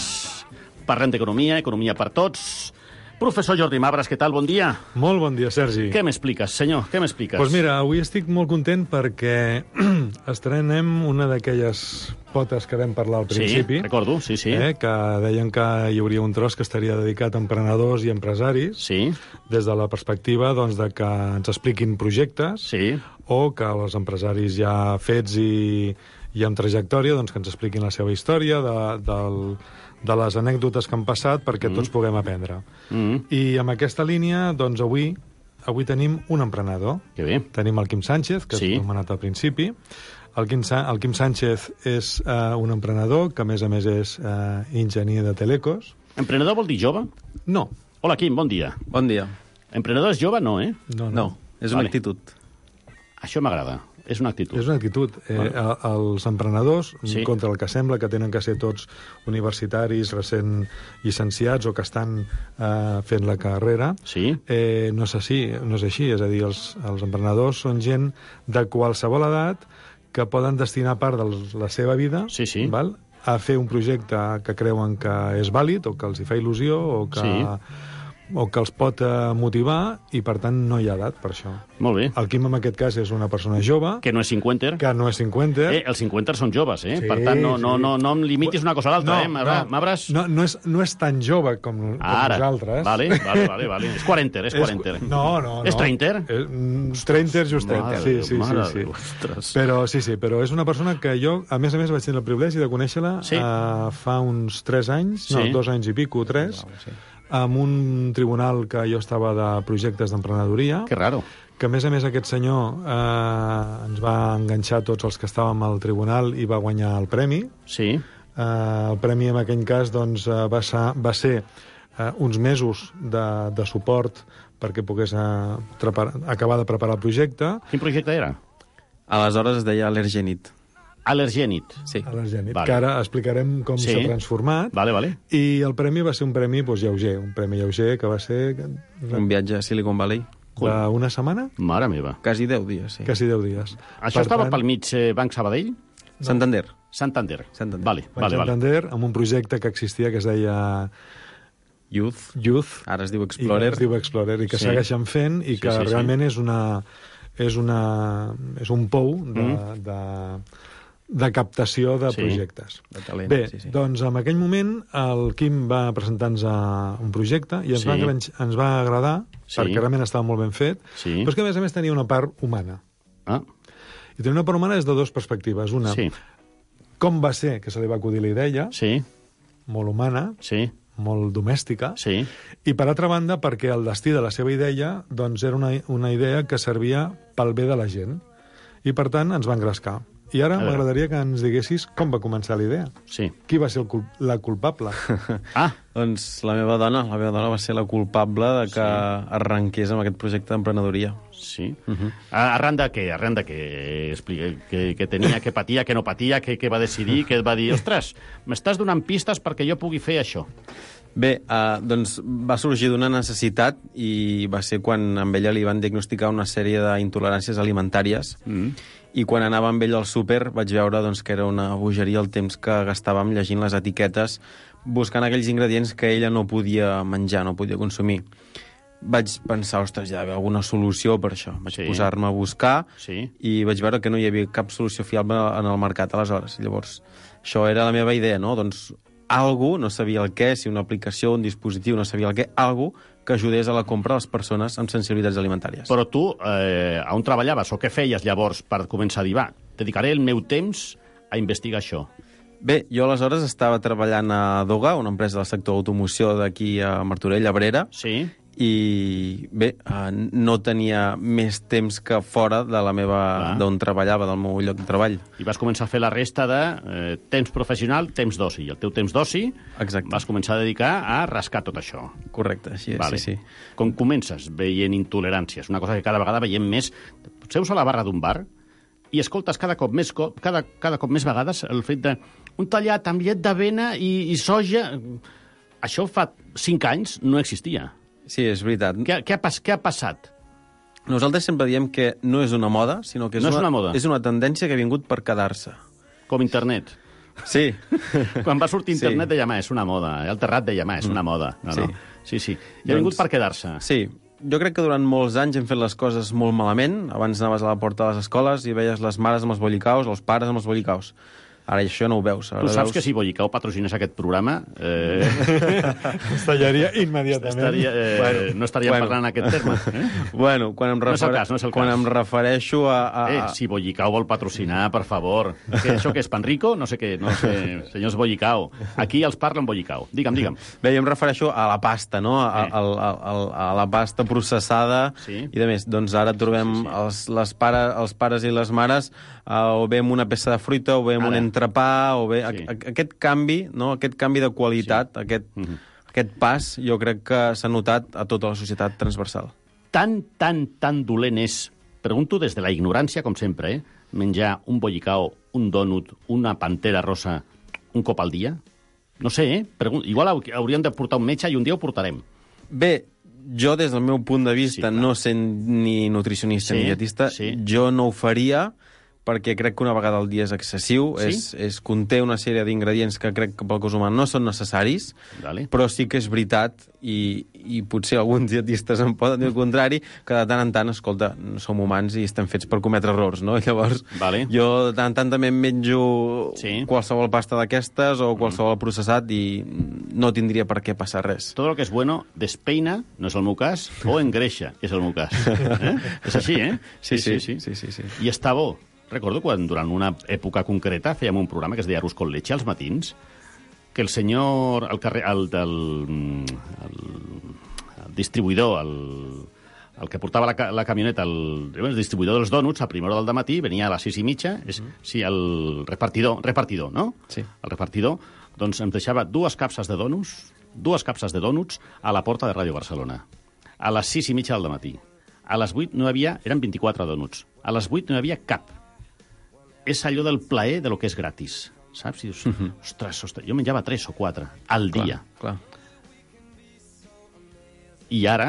Parlem d'economia, economia per tots. Professor Jordi Mabras, què tal? Bon dia. Molt bon dia, Sergi. Què m'expliques, senyor? Què m'expliques? Doncs pues mira, avui estic molt content perquè estrenem una d'aquelles potes que vam parlar al principi. Sí, recordo, sí, sí. Eh, que deien que hi hauria un tros que estaria dedicat a emprenedors i empresaris. Sí. Des de la perspectiva doncs, de que ens expliquin projectes. Sí. O que els empresaris ja fets i, i amb trajectòria doncs, que ens expliquin la seva història de, del... de les anècdotes que han passat perquè mm. tots puguem aprendre. Mm. I amb aquesta línia, doncs avui avui tenim un emprenedor. Que bé. Tenim el Quim Sánchez, que sí. Hem anomenat al principi. El Quim, el Quim Sánchez és uh, un emprenedor que, a més a més, és uh, enginyer de telecos. Emprenedor vol dir jove? No. Hola, Quim, bon dia. Bon dia. Emprenedor és jove? No, eh? No, no. no és una vale. actitud. Això m'agrada. És una actitud. És una actitud. Eh, vale. Els emprenedors, sí. contra el que sembla que tenen que ser tots universitaris, recent llicenciats o que estan eh, fent la carrera, sí. eh, no, és així, no és així. És a dir, els, els emprenedors són gent de qualsevol edat que poden destinar part de la seva vida sí, sí. val, a fer un projecte que creuen que és vàlid o que els hi fa il·lusió o que... Sí. o que els pot eh, motivar i, per tant, no hi ha edat per això. Molt bé. El Quim, en aquest cas, és una persona jove. Que no és cinquenter. Que no és cinquenter. Eh, els cinquenters són joves, eh? Sí, per tant, no, no, sí. no, no em limitis una cosa a l'altra, no, eh? Mabras? No, no, és, no és tan jove com, com Ara. nosaltres. Vale, vale, vale, vale. És quarenter, és quarenter. És, no, no, no. És treinter? És treinter justet. Mare sí, Déu, sí, mare sí, Déu, sí. Però, sí, sí, però és una persona que jo, a més a més, vaig tenir el privilegi de conèixer-la sí. uh, fa uns tres anys, sí. no, dos anys i pico, tres, wow, sí. amb un tribunal que jo estava de projectes d'emprenedoria. Que raro. Que, a més a més, aquest senyor eh, ens va enganxar tots els que estàvem al tribunal i va guanyar el premi. Sí. Eh, el premi, en aquell cas, doncs, eh, va ser, va ser eh, uns mesos de, de suport perquè pogués eh, trepar, acabar de preparar el projecte. Quin projecte era? Aleshores es deia Allergenit. Allergenit. Sí. Allergenit, vale. que ara explicarem com sí. s'ha transformat. Vale, vale. I el premi va ser un premi doncs, lleuger, un premi lleuger que va ser... Un viatge a Silicon Valley. D'una setmana? Mare meva. Quasi deu dies, sí. Quasi deu dies. Això per estava tant... pel mig eh, Banc Sabadell? No. Santander. Santander. Santander. Vale, Banc vale, Santander, vale. amb un projecte que existia que es deia... Youth. Youth. Ara es diu Explorer. I es diu Explorer, i que sí. segueixen fent, i que sí, sí, realment sí. és una... És, una, és un pou de, mm. de, de captació de sí. projectes. De talent, Bé, sí, sí. doncs en aquell moment el Quim va presentar-nos un projecte i ens, sí. va, ens va agradar, sí. perquè realment estava molt ben fet, sí. però és que a més a més tenia una part humana. Ah. I tenia una part humana des de dues perspectives. Una, sí. com va ser que se li va acudir la idea, sí. molt humana, sí. molt domèstica, sí. i per altra banda perquè el destí de la seva idea doncs, era una, una idea que servia pel bé de la gent, i per tant ens va engrescar. I ara m'agradaria que ens diguessis com va començar la idea. Sí. Qui va ser el cul la culpable? ah, doncs la meva dona, la meva dona va ser la culpable de que sí. arrenqués amb aquest projecte d'emprenedoria. Sí. Uh -huh. Arran de què? Arran de què? Explica, que, que tenia, que patia, que no patia, que, que va decidir, que va dir, ostres, m'estàs donant pistes perquè jo pugui fer això. Bé, uh, doncs va sorgir d'una necessitat i va ser quan amb ella li van diagnosticar una sèrie d'intoleràncies alimentàries mm. i quan anava amb ell al súper vaig veure doncs, que era una bogeria el temps que gastàvem llegint les etiquetes buscant aquells ingredients que ella no podia menjar, no podia consumir. Vaig pensar, ostres, ja hi ha alguna solució per això. Vaig sí. posar-me a buscar sí. i vaig veure que no hi havia cap solució fiable en el mercat aleshores. Llavors, això era la meva idea, no? Doncs algú, no sabia el què, si una aplicació, un dispositiu, no sabia el què, algú que ajudés a la compra a les persones amb sensibilitats alimentàries. Però tu, eh, on treballaves o què feies llavors per començar a dir, va, dedicaré el meu temps a investigar això? Bé, jo aleshores estava treballant a Doga, una empresa del sector automoció d'aquí a Martorell, a Abrera, sí. i bé, no tenia més temps que fora de la meva, d'on treballava, del meu lloc de treball. I vas començar a fer la resta de eh, temps professional, temps d'oci. I el teu temps d'oci vas començar a dedicar a rascar tot això. Correcte, així és, vale. sí, sí. Com comences veient intoleràncies? Una cosa que cada vegada veiem més... Seus a la barra d'un bar i escoltes cada cop més, cada, cada cop més vegades el fet de un tallat amb llet d'avena i, i soja... Això fa cinc anys no existia. Sí, és veritat. Què, què, ha, pas, què ha passat? Nosaltres sempre diem que no és una moda, sinó que és, no una, és una moda. És una tendència que ha vingut per quedar-se. Com internet. Sí. Quan va sortir internet Sí. deia, ma, és una moda. El Terrat deia, ma, és una moda. No, no. Sí. Sí, sí. I ha vingut per quedar-se. Sí. Jo crec que durant molts anys hem fet les coses molt malament. Abans anaves a la porta de les escoles i veies les mares amb els bollicaus, els pares amb els bollicaus. Ara això no ho veus. Ara Tu saps veus... que si Bollicau patrocinés aquest programa... Eh... Es tallaria immediatament. Estaria, eh... bueno, no estaríem bueno. parlant en aquest terme. Eh? Bueno, quan em, No és el refere... cas, no és el quan cas. em refereixo a... a... Eh, si Bollicau vol patrocinar, per favor. Que això que és, Panrico? No sé què, no sé, senyors Bollicau. Aquí els parlen Bollicau. Digue'm, digue'm. Bé, jo em refereixo a la pasta, no? A, a, a, a, a la pasta processada. Sí. I, de més, doncs ara trobem sí, sí. Els, les pare, els pares i les mares uh, o bé amb una peça de fruita, o bé amb Ara. un entrepà, o bé... Sí. Aquest canvi, no? Aquest canvi de qualitat, sí. aquest, mm-hmm. aquest pas, jo crec que s'ha notat a tota la societat transversal. Tan, tan, tan dolent és, pregunto des de la ignorància, com sempre, eh? menjar un bollicao, un dònut, una pantera rosa, un cop al dia? No sé, eh? Pregun Igual hauríem de portar un metge i un dia ho portarem. Bé, jo des del meu punt de vista, sí, no sent ni nutricionista sí, ni dietista, sí. jo no ho faria perquè crec que una vegada al dia és excessiu, sí? és, és, conté una sèrie d'ingredients que crec que pel cos humà no són necessaris, vale. Però sí que és veritat, i, i potser alguns dietistes em poden dir el contrari, que de tant en tant, escolta, som humans i estem fets per cometre errors, no? Llavors, vale. Jo de tant en tant també em menjo sí. qualsevol pasta d'aquestes o qualsevol mm. processat i no tindria per què passar res. Tot el que és bueno despeina, no és el meu cas, o engreixa, és el meu cas. Eh? És així, eh? Sí, sí, sí. sí, sí, sí. I està bo. Recordo quan durant una època concreta fèiem un programa que es deia Arús con leche als matins, que el senyor, el, carrer, el, el, el, el distribuïdor, el, el que portava la, la camioneta, el, el distribuïdor dels dònuts, a primera hora del matí, venia a les sis i mitja, és, sí, el repartidor, repartidor, no? Sí. El repartidor, doncs em deixava dues capses de dònuts, dues capses de dònuts a la porta de Ràdio Barcelona, a les sis i mitja del matí. A les vuit no hi havia, eren vint-i-quatre dònuts, a les vuit no hi havia cap. És allò del plaer de lo que és gratis, saps? I dius, uh-huh. ostres, ostres, jo menjava tres o quatre al dia. Clar, clar. I ara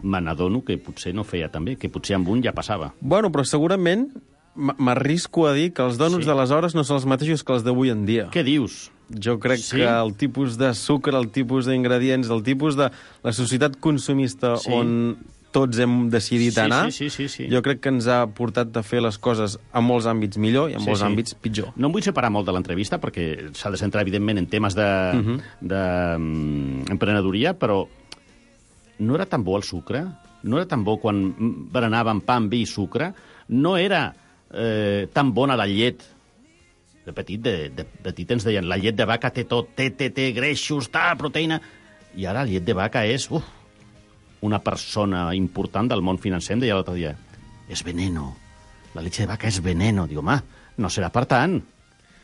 me n'adono que potser no feia també, que potser amb un ja passava. Bueno, però segurament m'arrisco a dir que els dònuts Sí. d'aleshores no són els mateixos que els d'avui en dia. Què dius? Jo crec Sí? que el tipus de sucre, el tipus d'ingredients, el tipus de la societat consumista Sí. on tots hem decidit Sí, anar, sí, sí, sí, sí. jo crec que ens ha portat a fer les coses en molts àmbits millor i en Sí, molts sí. àmbits pitjor. No em vull separar molt de l'entrevista perquè s'ha de centrar, evidentment, en temes d'emprenedoria, Mhm. de, um, emprenedoria, però no era tan bo el sucre? No era tan bo quan berenàvem pa amb vi i sucre? No era eh, tan bona la llet? De petit, de, de, de petit ens deien la llet de vaca té tot, té, té, té greixos, tal, proteïna... I ara la llet de vaca és... Uf, una persona important del món financer em deia l'altre dia, és veneno, la leche de vaca és veneno. Digo, home, no serà per tant.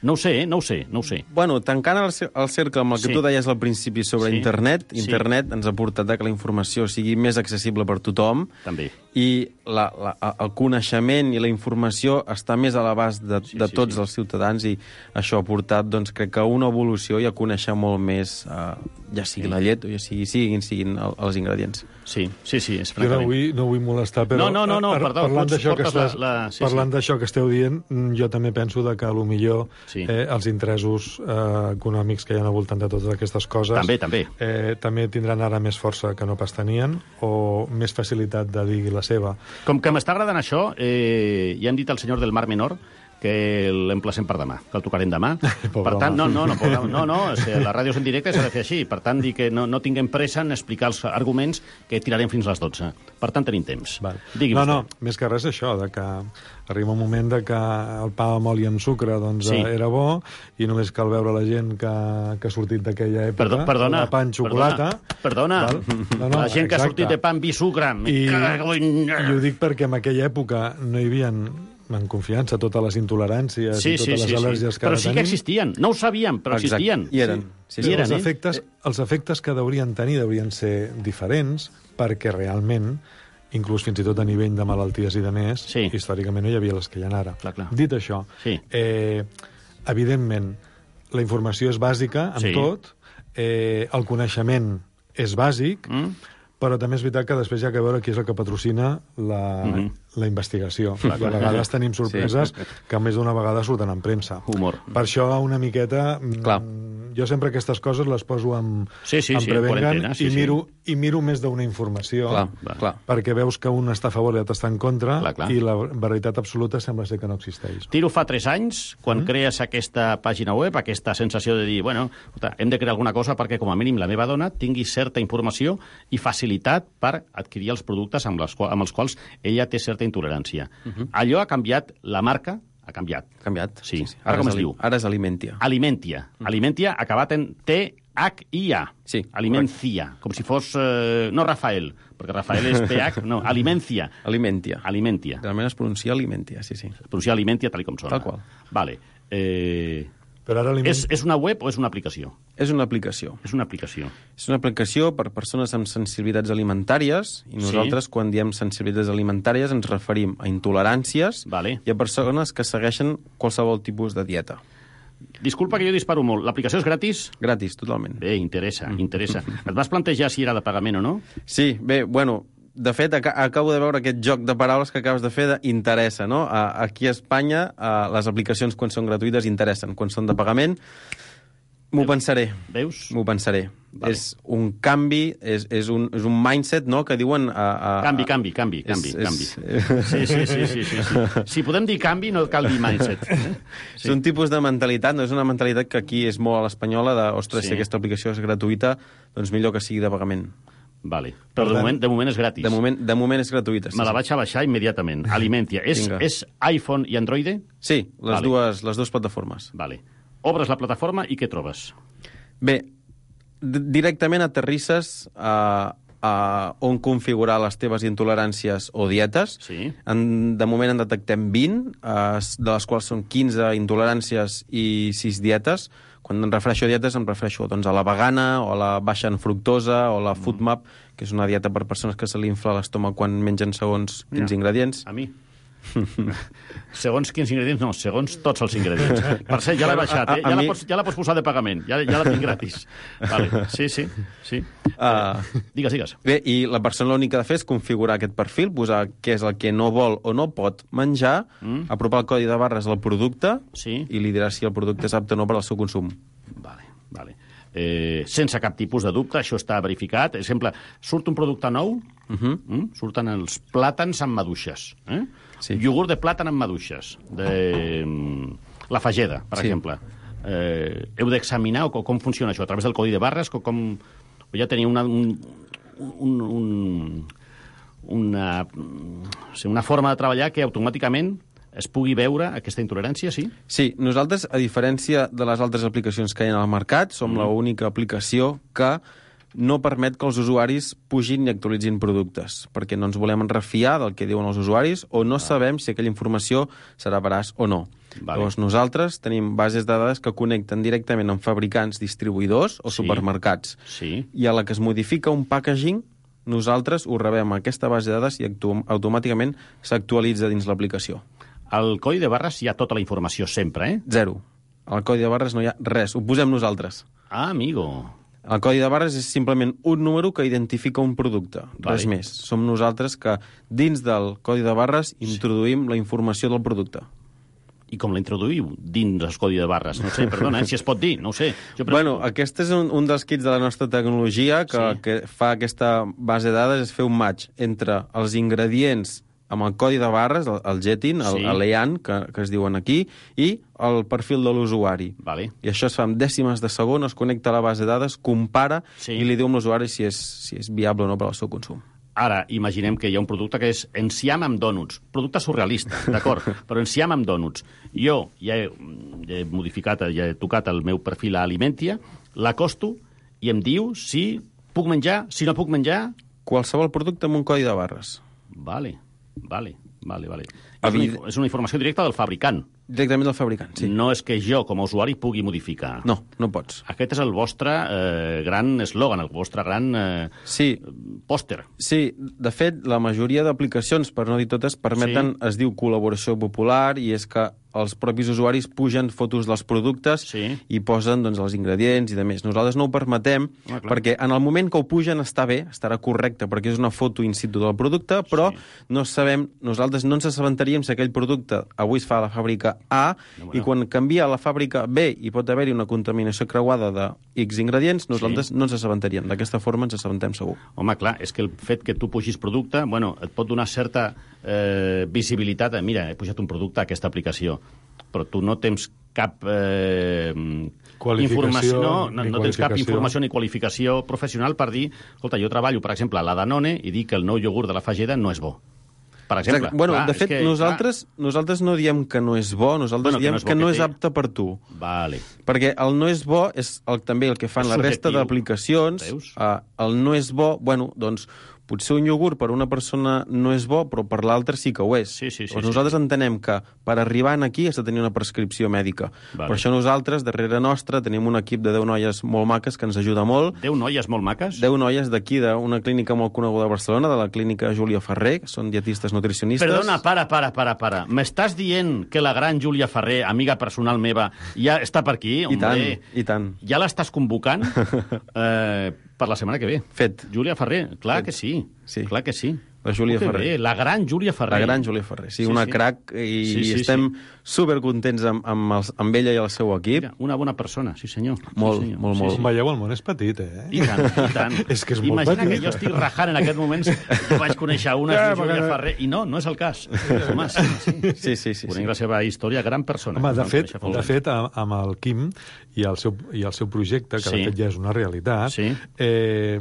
No ho sé, eh? no ho sé, no ho sé. Bueno, tancant el, cer- el cercle amb el que Sí. tu deies al principi sobre Sí. internet, Sí. internet ens ha portat a que la informació sigui més accessible per tothom També. i la, la, el coneixement i la informació està més a l'abast de, Sí, de sí, tots sí. els ciutadans i això ha portat, doncs, crec que a una evolució i a conèixer molt més, eh, ja sigui Sí. la llet o ja sigui, siguin, siguin el, els ingredients. Sí, sí, sí, és Jo no francament. vull, no vull molestar, però... No, no, no, no, ar- perdó, Parlant pots- d'això que, portes estàs, la- la- sí, parlant sí. d'això que esteu dient, mm, jo també penso de que a lo millor Sí. eh, els interessos eh, econòmics que hi ha al voltant de totes aquestes coses També, també. Eh, també tindran ara més força que no pas tenien o més facilitat de dir la seva. Com que m'està agradant això, eh, ja hem dit al senyor del Mar Menor que l'emplacem per demà, que el tocarem demà. Pobre Per tant, home. no, no, no, pobre, no, no, o sigui, la ràdio és en directe s'ha de fer així. Per tant, dir que no, no tinguem pressa en explicar els arguments que tirarem fins a les dotze. Per tant, tenim temps. Val. Digui no, vostè. no, més que res això, de que arriba un moment de que el pa amb oli amb sucre doncs, Sí. sí. era bo i només cal veure la gent que, que ha sortit d'aquella època, Perdó, perdona, de pa amb xocolata. Perdona, Val? perdona. La gent que ha sortit de pa amb vi i sucre. me I, cago en... I ho dic perquè en aquella època no hi havia en confiança totes les intoleràncies Sí, i totes sí, les sí, al·lèrgies sí. que Però ara sí que tenim. existien. No ho sabíem, però Exacte. existien. I eren. Sí, sí. I eren, els, eh? efectes, els efectes que deurien tenir deurien ser diferents perquè realment, inclús fins i tot a nivell de malalties i de més, Sí. històricament no hi havia les que hi ha ara. Clar, clar. Dit això, Sí. eh, evidentment, la informació és bàsica en Sí. tot, eh, el coneixement és bàsic, Mm? Però també és veritat que després hi ha que veure qui és el que patrocina la, Mhm. la investigació. Clar, I a vegades tenim sí. sorpreses que més d'una vegada surten en premsa. Humor. Per això una miqueta... Clar. Jo sempre aquestes coses les poso en, Sí, sí, en sí, prevengan quarantena, sí, i, sí. miro, i miro més d'una informació Clar, clar. perquè veus que un està a favor i l'altre està en contra Clar, clar. i la veritat absoluta sembla ser que no existeix. Tiro fa tres anys, quan mm. crees aquesta pàgina web, aquesta sensació de dir, bueno, escolta, hem de crear alguna cosa perquè, com a mínim, la meva dona tingui certa informació i facilitat per adquirir els productes amb, les, quals- amb els quals ella té certa intolerància. Uh -huh. Allò ha canviat, la marca ha canviat. Ha canviat. Sí. sí, sí. Ara, com és es ali- diu? Ara és Alimentia. Alimentia. Mm. Alimentia acabat en T H I A. Sí. Alimencia. Com si fos... Eh, no Rafael, perquè Rafael és T H, no, Alimencia. Alimentia. Alimentia. Realment es pronuncia Alimentia, sí, sí. Es pronuncia Alimentia tal com sona. Tal qual. Vale. Eh... Però ara és, és una web o és una aplicació? És una aplicació. És una aplicació. És una aplicació per persones amb sensibilitats alimentàries i nosaltres, sí. quan diem sensibilitats alimentàries, ens referim a intoleràncies vale. i a persones que segueixen qualsevol tipus de dieta. Disculpa que jo disparo molt. L'aplicació és gratis? Gratis, totalment. Bé, interessa, interessa. Et vas plantejar si era de pagament o no? Sí, bé, bueno, de fet, ac acabo de veure aquest joc de paraules que acabes de fer d'interessa, no? A aquí a Espanya, a les aplicacions, quan són gratuïtes, interessen. Quan són de pagament, m'ho pensaré. Veus? M'ho pensaré. Vale. És un canvi, és, és, un, és un mindset, no?, que diuen... A, a, canvi, canvi, canvi, canvi, és, canvi. És... Sí, sí, sí, sí, sí, sí. Si podem dir canvi, no cal dir mindset. Eh? Sí. És un tipus de mentalitat, no és una mentalitat que aquí és molt a l'espanyola, de, ostres, Sí. si aquesta aplicació és gratuïta, doncs millor que sigui de pagament. Vale. Però de moment, de moment és gratis. De moment, de moment és gratuïta. Sí, Me la sí. vaig a baixar immediatament. Alimentia. És, Vinga. és iPhone i Android? Sí, les, Vale. dues, les dues plataformes. Vale. Obres la plataforma i què trobes? Bé, directament aterrisses a, a on configurar les teves intoleràncies o dietes. Sí. En, de moment en detectem vint, eh, de les quals són quinze intoleràncies i sis dietes. Quan em refereixo a dietes em refereixo doncs, a la vegana, o a la baixa en fructosa, o la FoodMap, que és una dieta per persones que se li infla l'estómac quan mengen segons quins Mira, ingredients. A mi. Segons quins ingredients, no, segons tots els ingredients. Per cert, ja l'he baixat, eh? A- a Ja la, mi- pots, ja la pots posar de pagament, ja, ja la tinc gratis. Vale. Sí, sí, sí. Uh, digues, digues. Bé, i la persona l'únic que ha de fer és configurar aquest perfil, posar què és el que no vol o no pot menjar, mm. apropar el codi de barres al producte sí. i li dirà si el producte és apte o no per al seu consum. Vale, vale. Eh, sense cap tipus de dubte, això està verificat. Per exemple, surt un producte nou, uh -huh. mm? surten els plàtans amb maduixes. Eh? Sí. Iogurt de plàtan amb maduixes. De... mm, La fageda, per Sí. exemple. Eh, heu d'examinar o com funciona això, a través del codi de barres, com, com... o ja tenia una, un, un, un, una, una forma de treballar que automàticament es pugui veure aquesta intolerància, sí? Sí, nosaltres, a diferència de les altres aplicacions que hi ha al mercat, som mm. l'única aplicació que no permet que els usuaris pugin i actualitzin productes, perquè no ens volem refiar del que diuen els usuaris o no ah. sabem si aquella informació serà veraç o no. Vale. Llavors, nosaltres tenim bases de dades que connecten directament amb fabricants, distribuïdors o Sí. supermercats. Sí. I a la que es modifica un packaging, nosaltres ho rebem a aquesta base de dades i actu- automàticament s'actualitza dins l'aplicació. Al codi de barres hi ha tota la informació sempre, eh? Zero. Al codi de barres no hi ha res, ho posem nosaltres. Ah, amigo. El codi de barres és simplement un número que identifica un producte, Vale. res més. Som nosaltres que dins del codi de barres introduïm la informació del producte. I com la introduïu dins el codi de barres? No sé, perdona, eh, si es pot dir, no ho sé. Jo Bueno, aquest és un, un dels kits de la nostra tecnologia que, Sí. que fa aquesta base de dades, és fer un match entre els ingredients amb el codi de barres, el, el Getin, el, Sí. el E A N, que, que es diuen aquí, i el perfil de l'usuari. Vale. I això es fa en dècimes de segon, es connecta a la base de dades, compara Sí. i li diu a l'usuari si, és, si és viable o no per al seu consum. Ara, imaginem que hi ha un producte que és enciam amb dònuts. Producte surrealista, d'acord, però enciam amb dònuts. Jo ja he, ja he modificat, ja he tocat el meu perfil a Alimentia, l'acosto i em diu si puc menjar, si no puc menjar... Qualsevol producte amb un codi de barres. Vale, vale, vale, vale. Evid- És una, és una informació directa del fabricant. Directament del fabricant, sí. No és que jo, com a usuari, pugui modificar. No, no pots. Aquest és el vostre eh, gran eslògan, el vostre gran eh, sí. pòster. Sí, de fet, la majoria d'aplicacions, per no dir totes, permeten, Sí. es diu col·laboració popular, i és que els propis usuaris pugen fotos dels productes sí. i posen doncs, els ingredients i de més. Nosaltres no ho permetem ah, perquè en el moment que ho pugen està bé, estarà correcte, perquè és una foto in situ del producte, però sí. no sabem, nosaltres no ens assabentaríem si aquell producte avui es fa a la fàbrica A no, bueno. i quan canvia a la fàbrica B i pot haver-hi una contaminació creuada de X ingredients, nosaltres sí. no ens assabentaríem. D'aquesta forma ens assabentem segur. Home, clar, és que el fet que tu pugis producte, bueno, et pot donar certa eh, visibilitat. Mira, he pujat un producte a aquesta aplicació, però tu no tens cap eh, informació, no, no, no tens cap informació ni qualificació professional per dir, escolta, jo treballo, per exemple, a la Danone i dic que el nou iogurt de la Fageda no és bo. Per exemple. Bueno, clar, de fet, que, nosaltres, nosaltres no diem que no és bo, nosaltres bueno, diem que no és, que no és apte per tu. Vale. Perquè el no és bo és el, també el que fan és la resta d'aplicacions. Uh, el no és bo, bueno, doncs, potser un iogurt per una persona no és bo, però per l'altra sí que ho és. Sí, sí, sí, doncs nosaltres sí. entenem que per arribar aquí has de tenir una prescripció mèdica. Vale. Per això nosaltres, darrere nostra, tenim un equip de deu noies molt maques que ens ajuda molt. deu noies molt maques? deu noies d'aquí, d'una clínica molt coneguda de Barcelona, de la clínica Júlia Ferrer, que són dietistes nutricionistes. Perdona, para, para, para, para. M'estàs dient que la gran Júlia Ferrer, amiga personal meva, ja està per aquí? I tant, i tant. Ja l'estàs convocant? eh... Per la setmana que ve. Fet. Júlia Ferrer, clar Fet. que sí. sí. Clar que sí. La Júlia Ferrer. Bé. La gran Júlia Ferrer. La gran Júlia Ferrer, sí, sí una sí. crac, i sí, sí, estem sí. supercontents amb, amb, els, amb ella i el seu equip. Mira, una bona persona, sí senyor. Molt, sí, senyor. molt, sí, molt. Sí. Veieu, el món és petit, eh? I tant, i tant. és que és molt Imagina petit. que jo estic rajant en aquest moment, jo vaig conèixer una ja, Júlia que... Ferrer, i no, no és el cas. Home, sí, sí. sí, sí, sí, Conec sí. la seva història, gran persona. Home, de fet, de fet, amb el Quim i el seu, i el seu projecte, que sí. de fet ja és una realitat, sí. eh,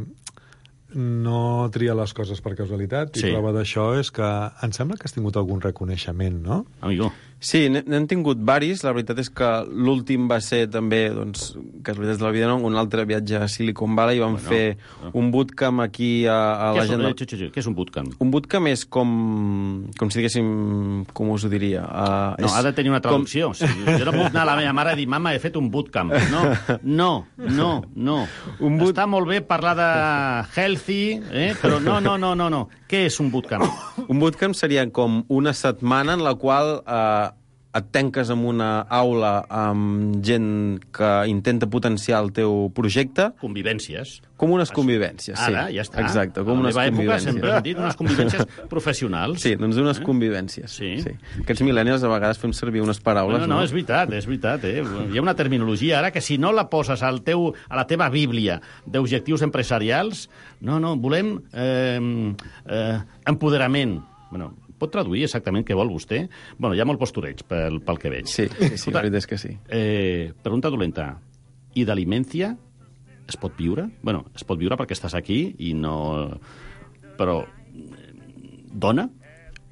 no tria les coses per casualitat, i sí. prova d'això és que em sembla que has tingut algun reconeixement, no? Amigo. Sí, n'hem tingut varis. La veritat és que l'últim va ser també, doncs, casualitats de la vida, no? Un altre viatge a Silicon Valley, i vam bueno, fer no. un bootcamp aquí a, a què la gent... És, de... Què és un bootcamp? Un bootcamp és com, com si diguéssim, com us ho diria? Uh, no, és ha de tenir una traducció. Com... Sí, jo no puc anar a la meva mare i dir, mama, he fet un bootcamp. No, no, no, no. Un boot... Està molt bé parlar de healthy, eh? però no, no, no, no, no. Què és un bootcamp? Un bootcamp seria com una setmana en la qual... Uh, et tanques en una aula amb gent que intenta potenciar el teu projecte. Convivències. Com unes convivències, sí. Ara, ja està. Exacte, com a unes la meva convivències. època sempre hem dit unes convivències professionals. Sí, doncs unes eh? convivències. Sí. sí. Aquests mil·lennials a vegades fem servir unes paraules, no? No, no, és veritat, és veritat. Eh? Hi ha una terminologia ara que si no la poses al teu, a la teva bíblia d'objectius empresarials, no, no, volem eh, eh, empoderament. Bueno, pot traduir exactament què vol vostè? Bueno, hi ha molt postureig pel, pel que veig. Sí, sí, sí, la veritat és que sí. Eh, pregunta dolenta. I d'alimència es pot viure? Bueno, es pot viure perquè estàs aquí i no... Però... Dona?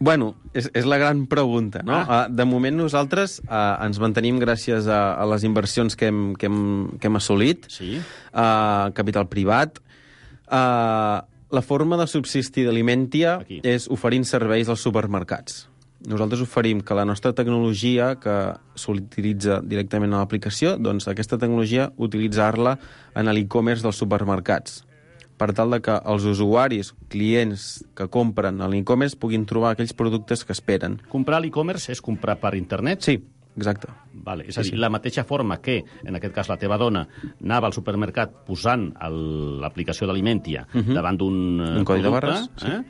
Bueno, és, és la gran pregunta, no? Ah. Uh, de moment nosaltres uh, ens mantenim gràcies a, a les inversions que hem, que hem, que hem assolit. Sí. Uh, capital privat. Uh, La forma de subsistir d'Alimentia és oferint serveis als supermercats. Nosaltres oferim que la nostra tecnologia, que s'utilitza directament a l'aplicació, doncs aquesta tecnologia utilitzar-la en l'e-commerce dels supermercats, per tal de que els usuaris, clients que compren a l'e-commerce puguin trobar aquells productes que esperen. Comprar a l'e-commerce és comprar per internet? Sí. Exacte. Vale, és a dir, sí, sí. la mateixa forma que, en aquest cas, la teva dona anava al supermercat posant l'aplicació d'Alimentia uh -huh. davant d'un un codi producte, de barres, sí. eh?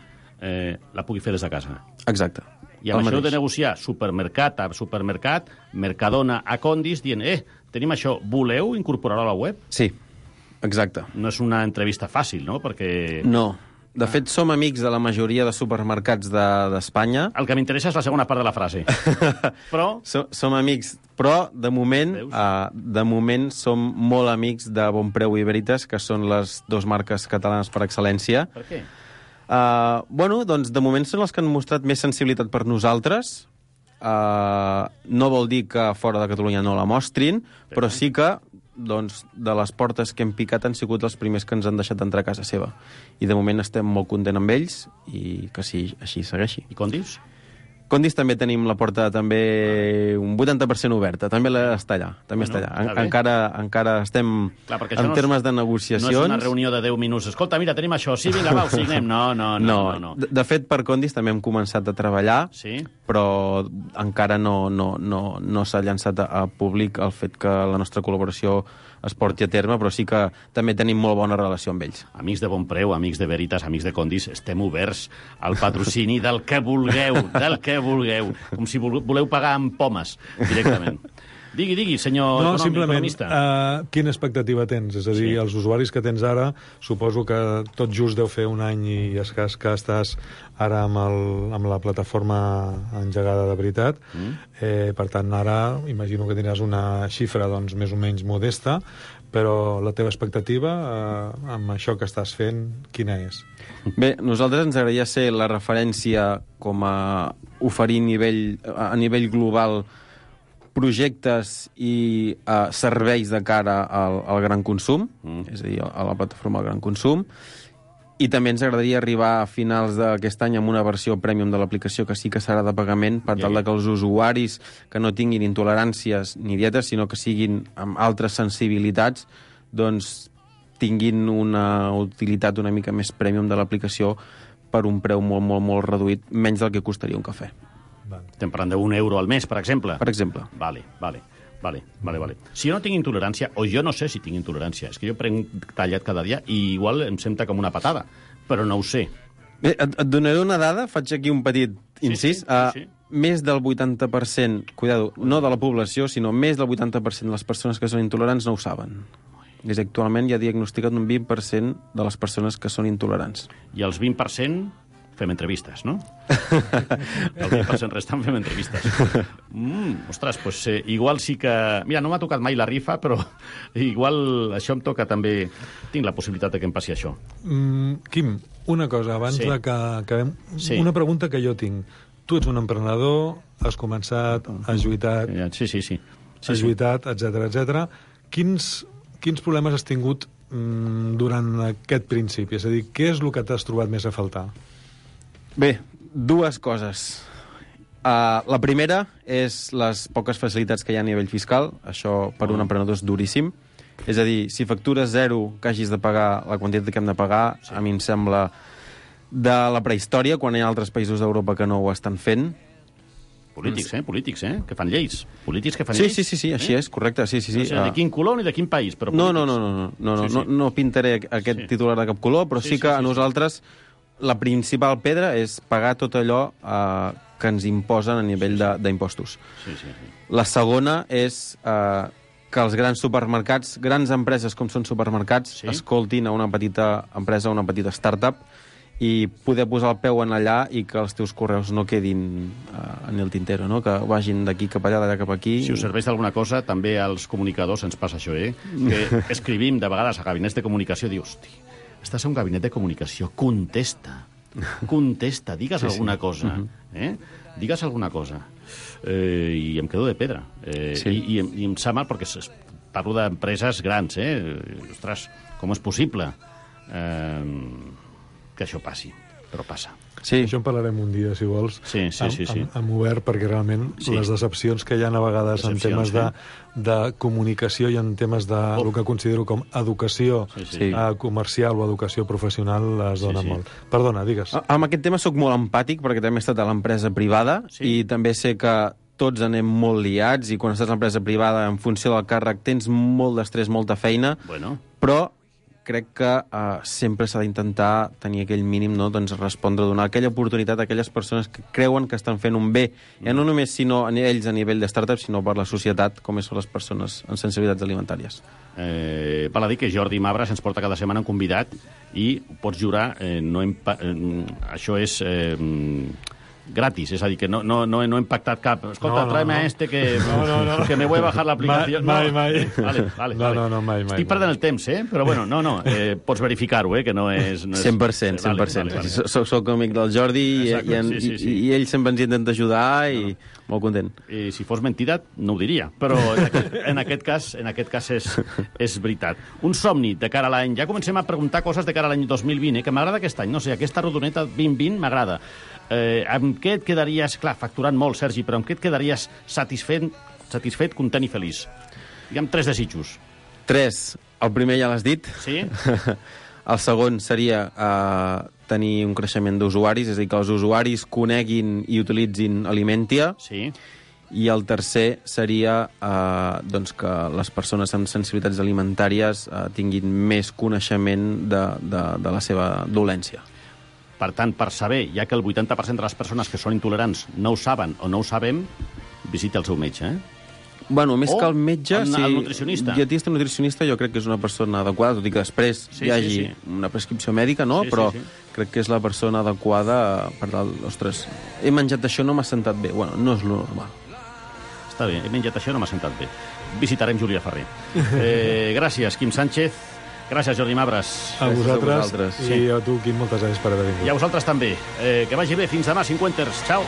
Eh, la pugui fer des de casa. Exacte. I amb el això mateix. De negociar supermercat a supermercat, Mercadona a Condis, dient, eh, tenim això, voleu incorporar-ho a la web? Sí, exacte. No és una entrevista fàcil, no? Perquè... No. De fet, som amics de la majoria de supermercats d'Espanya. De, el que m'interessa és la segona part de la frase. Però... Som, som amics, però de moment, uh, de moment som molt amics de Bonpreu i Veritas, que són les dues marques catalanes per excel·lència. Per què? Uh, bueno, doncs de moment són els que han mostrat més sensibilitat per nosaltres. Uh, no vol dir que fora de Catalunya no la mostrin, per però sí que doncs, de les portes que hem picat han sigut els primers que ens han deixat entrar a casa seva. I de moment estem molt contents amb ells i que sí, així segueixi. I Condis? Condis també tenim la porta també un vuitanta per cent oberta, també està allà, també Bueno, està allà. està bé. Encara, encara estem Clar, perquè això en no és- termes de No negociacions. és una reunió de deu minuts. Escolta, mira, tenim això. Sí, vinga, va, ho signem. No, no, no. No, no, no. De, de fet, per Condis també hem començat a treballar, Sí? però encara no, no, no, no s'ha llançat a, a públic el fet que la nostra col·laboració es porti a terme, però sí que també tenim molt bona relació amb ells. Amics de bon preu, amics de Veritas, amics de Condis, estem oberts al patrocini del que vulgueu, del que vulgueu, com si vole- voleu pagar amb pomes, directament. Digui, digui, senyor No, econòmic, simplement, economista. uh, quina expectativa tens? És a dir, Sí. els usuaris que tens ara, suposo que tot just deu fer un any i escàs que estàs ara amb, el, amb la plataforma engegada de veritat. Mm. Eh, per tant, ara imagino que tindràs una xifra doncs, més o menys modesta, però la teva expectativa eh, amb això que estàs fent, quina és? Bé, nosaltres ens agradaria ser la referència com a oferir nivell, a nivell global projectes i uh, serveis de cara al, al gran consum, mm. és a dir, a la plataforma del gran consum, i també ens agradaria arribar a finals d'aquest any amb una versió premium de l'aplicació que sí que serà de pagament per tal de que els usuaris que no tinguin intoleràncies ni dietes, sinó que siguin amb altres sensibilitats, doncs tinguin una utilitat una mica més premium de l'aplicació per un preu molt, molt, molt reduït, menys del que costaria un cafè. Estem parlant d'un euro al mes, per exemple. Per exemple. Vale, vale. Vale, vale, vale. Si jo no tinc intolerància, o jo no sé si tinc intolerància, és que jo prenc tallat cada dia i igual em sembla com una patada, però no ho sé. Bé, et, et donaré una dada, faig aquí un petit incís. sí, Uh, sí, sí. Més del vuitanta per cent, cuidado, no de la població, sinó més del vuitanta per cent de les persones que són intolerants no ho saben. És actualment hi ha diagnosticat un vint per cent de les persones que són intolerants. I els vint per cent fem entrevistes, no? El vint per cent restant fem entrevistes. Mm, ostres, doncs eh, igual sí que... Mira, no m'ha tocat mai la rifa, però igual això em toca també... Tinc la possibilitat de que em passi això. Mm, Quim, una cosa, abans Sí. de que acabem... Sí. Una pregunta que jo tinc. Tu ets un emprenedor, has començat, has lluitat... Sí, sí, sí. sí has lluitat, etcètera, etcètera. Quins, quins problemes has tingut mm, durant aquest principi? És a dir, què és el que t'has trobat més a faltar? Bé, dues coses. Uh, la primera és les poques facilitats que hi ha a nivell fiscal. Això per un emprenedor és duríssim. És a dir, si factures zero que hagis de pagar la quantitat que hem de pagar, sí. a mi em sembla de la prehistòria, quan hi ha altres països d'Europa que no ho estan fent. Polítics, eh? Polítics, eh? Que fan lleis. Polítics que fan Sí, lleis. sí, sí, sí, així eh? és, correcte, sí, sí, sí. No sé de quin color ni de quin país, però No, polítics. no, no, no, no, no, no, Sí, sí. no, no pintaré aquest Sí. titular de cap color, però Sí, sí, sí, que sí, a sí. nosaltres la principal pedra és pagar tot allò eh, que ens imposen a nivell de- d'impostos. Sí, sí, sí. La segona és eh, que els grans supermercats, grans empreses com són supermercats, sí? escoltin a una petita empresa, una petita startup, i poder posar el peu en allà i que els teus correus no quedin uh, en el tintero, no? Que vagin d'aquí cap allà, d'allà cap aquí. Si us serveix d'alguna cosa, també als comunicadors ens passa això, eh? Que escrivim de vegades a gabinets de comunicació, dius, hosti, estàs a un gabinet de comunicació, contesta, contesta, digues Sí, sí. alguna cosa, Mhm. eh? Digues alguna cosa. Eh, I em quedo de pedra. Eh, Sí. i, i, em- I em sap mal perquè es- parlo d'empreses grans, eh? Ostres, com és possible eh, que això passi? Però passa. Sí. Això en parlarem un dia, si vols, Sí, sí, amb, sí, sí. amb, amb obert, perquè realment Sí. les decepcions que hi ha a vegades Decepcions, en temes de, eh? de comunicació i en temes de Oh. el que considero com educació Sí, sí. eh, comercial o educació professional es dona sí. molt. Perdona, digues. A- Amb aquest tema sóc molt empàtic, perquè també he estat a l'empresa privada, sí. i també sé que tots anem molt liats, i quan estàs a l'empresa privada, en funció del càrrec, tens molt d'estrès, molta feina, Bueno. però crec que uh, sempre s'ha d'intentar tenir aquell mínim, no? Doncs respondre, donar aquella oportunitat a aquelles persones que creuen que estan fent un bé, mm. ja no només sinó a ells a nivell de startup, sinó per la societat, com són les persones en sensibilitats alimentàries. Eh, val a dir que Jordi Mabras ens porta cada setmana un convidat i pots jurar, eh, no impa- eh, això és eh, gratis, és a dir, que no, no, no, no he impactat cap. Escolta, No, no, tráeme no. a este que, No, no, no. que me voy a bajar l'aplicació. Mai, mai, mai. Vale, vale, No, vale. no, no, mai, mai, Estic mai. perdent el temps, eh? Però bueno, no, no, eh, pots verificar-ho, eh? Que no és... No és... cent per cent, cent per cent. Vale, vale, Soc, soc, soc amic del Jordi i, Exacte, i, en, sí, sí, sí. i, i ell sempre ens intenta ajudar i no. molt content. Eh, si fos mentida, no ho diria, però en aquest, en aquest cas, en aquest cas és, és veritat. Un somni de cara a l'any. Ja comencem a preguntar coses de cara a l'any dos mil vint, eh, que m'agrada aquest any. No sé, aquesta rodoneta vint vint m'agrada. Eh, amb què et quedaries, clar, facturant molt, Sergi, però amb què et quedaries satisfet, satisfet, content i feliç? Digue'm tres desitjos. Tres. El primer ja l'has dit. Sí. El segon seria eh, tenir un creixement d'usuaris, és a dir, que els usuaris coneguin i utilitzin Alimentia. Sí. I el tercer seria eh, doncs que les persones amb sensibilitats alimentàries eh, tinguin més coneixement de, de, de la seva dolència. Per tant, per saber, ja que el vuitanta per cent de les persones que són intolerants no ho saben o no ho sabem, visita el seu metge, eh? Bueno, més o que el metge... el, sí, el nutricionista. El dietista nutricionista jo crec que és una persona adequada, tot i que després sí, hi hagi sí, sí. una prescripció mèdica, no? Sí, Però sí, sí. crec que és la persona adequada per tal... Ostres, he menjat això, no m'ha sentat bé. Bueno, no és lo normal. Està bé, he menjat això, no m'ha sentat bé. Visitarem Júlia Ferrer. Eh, gràcies, Quim Sánchez. Gràcies, Jordi Mabres. A vosaltres, a vosaltres. i a tu, Quim, moltes gràcies per haver vingut. I a vosaltres també. Eh, que vagi bé. Fins demà, cinquanters. Ciao.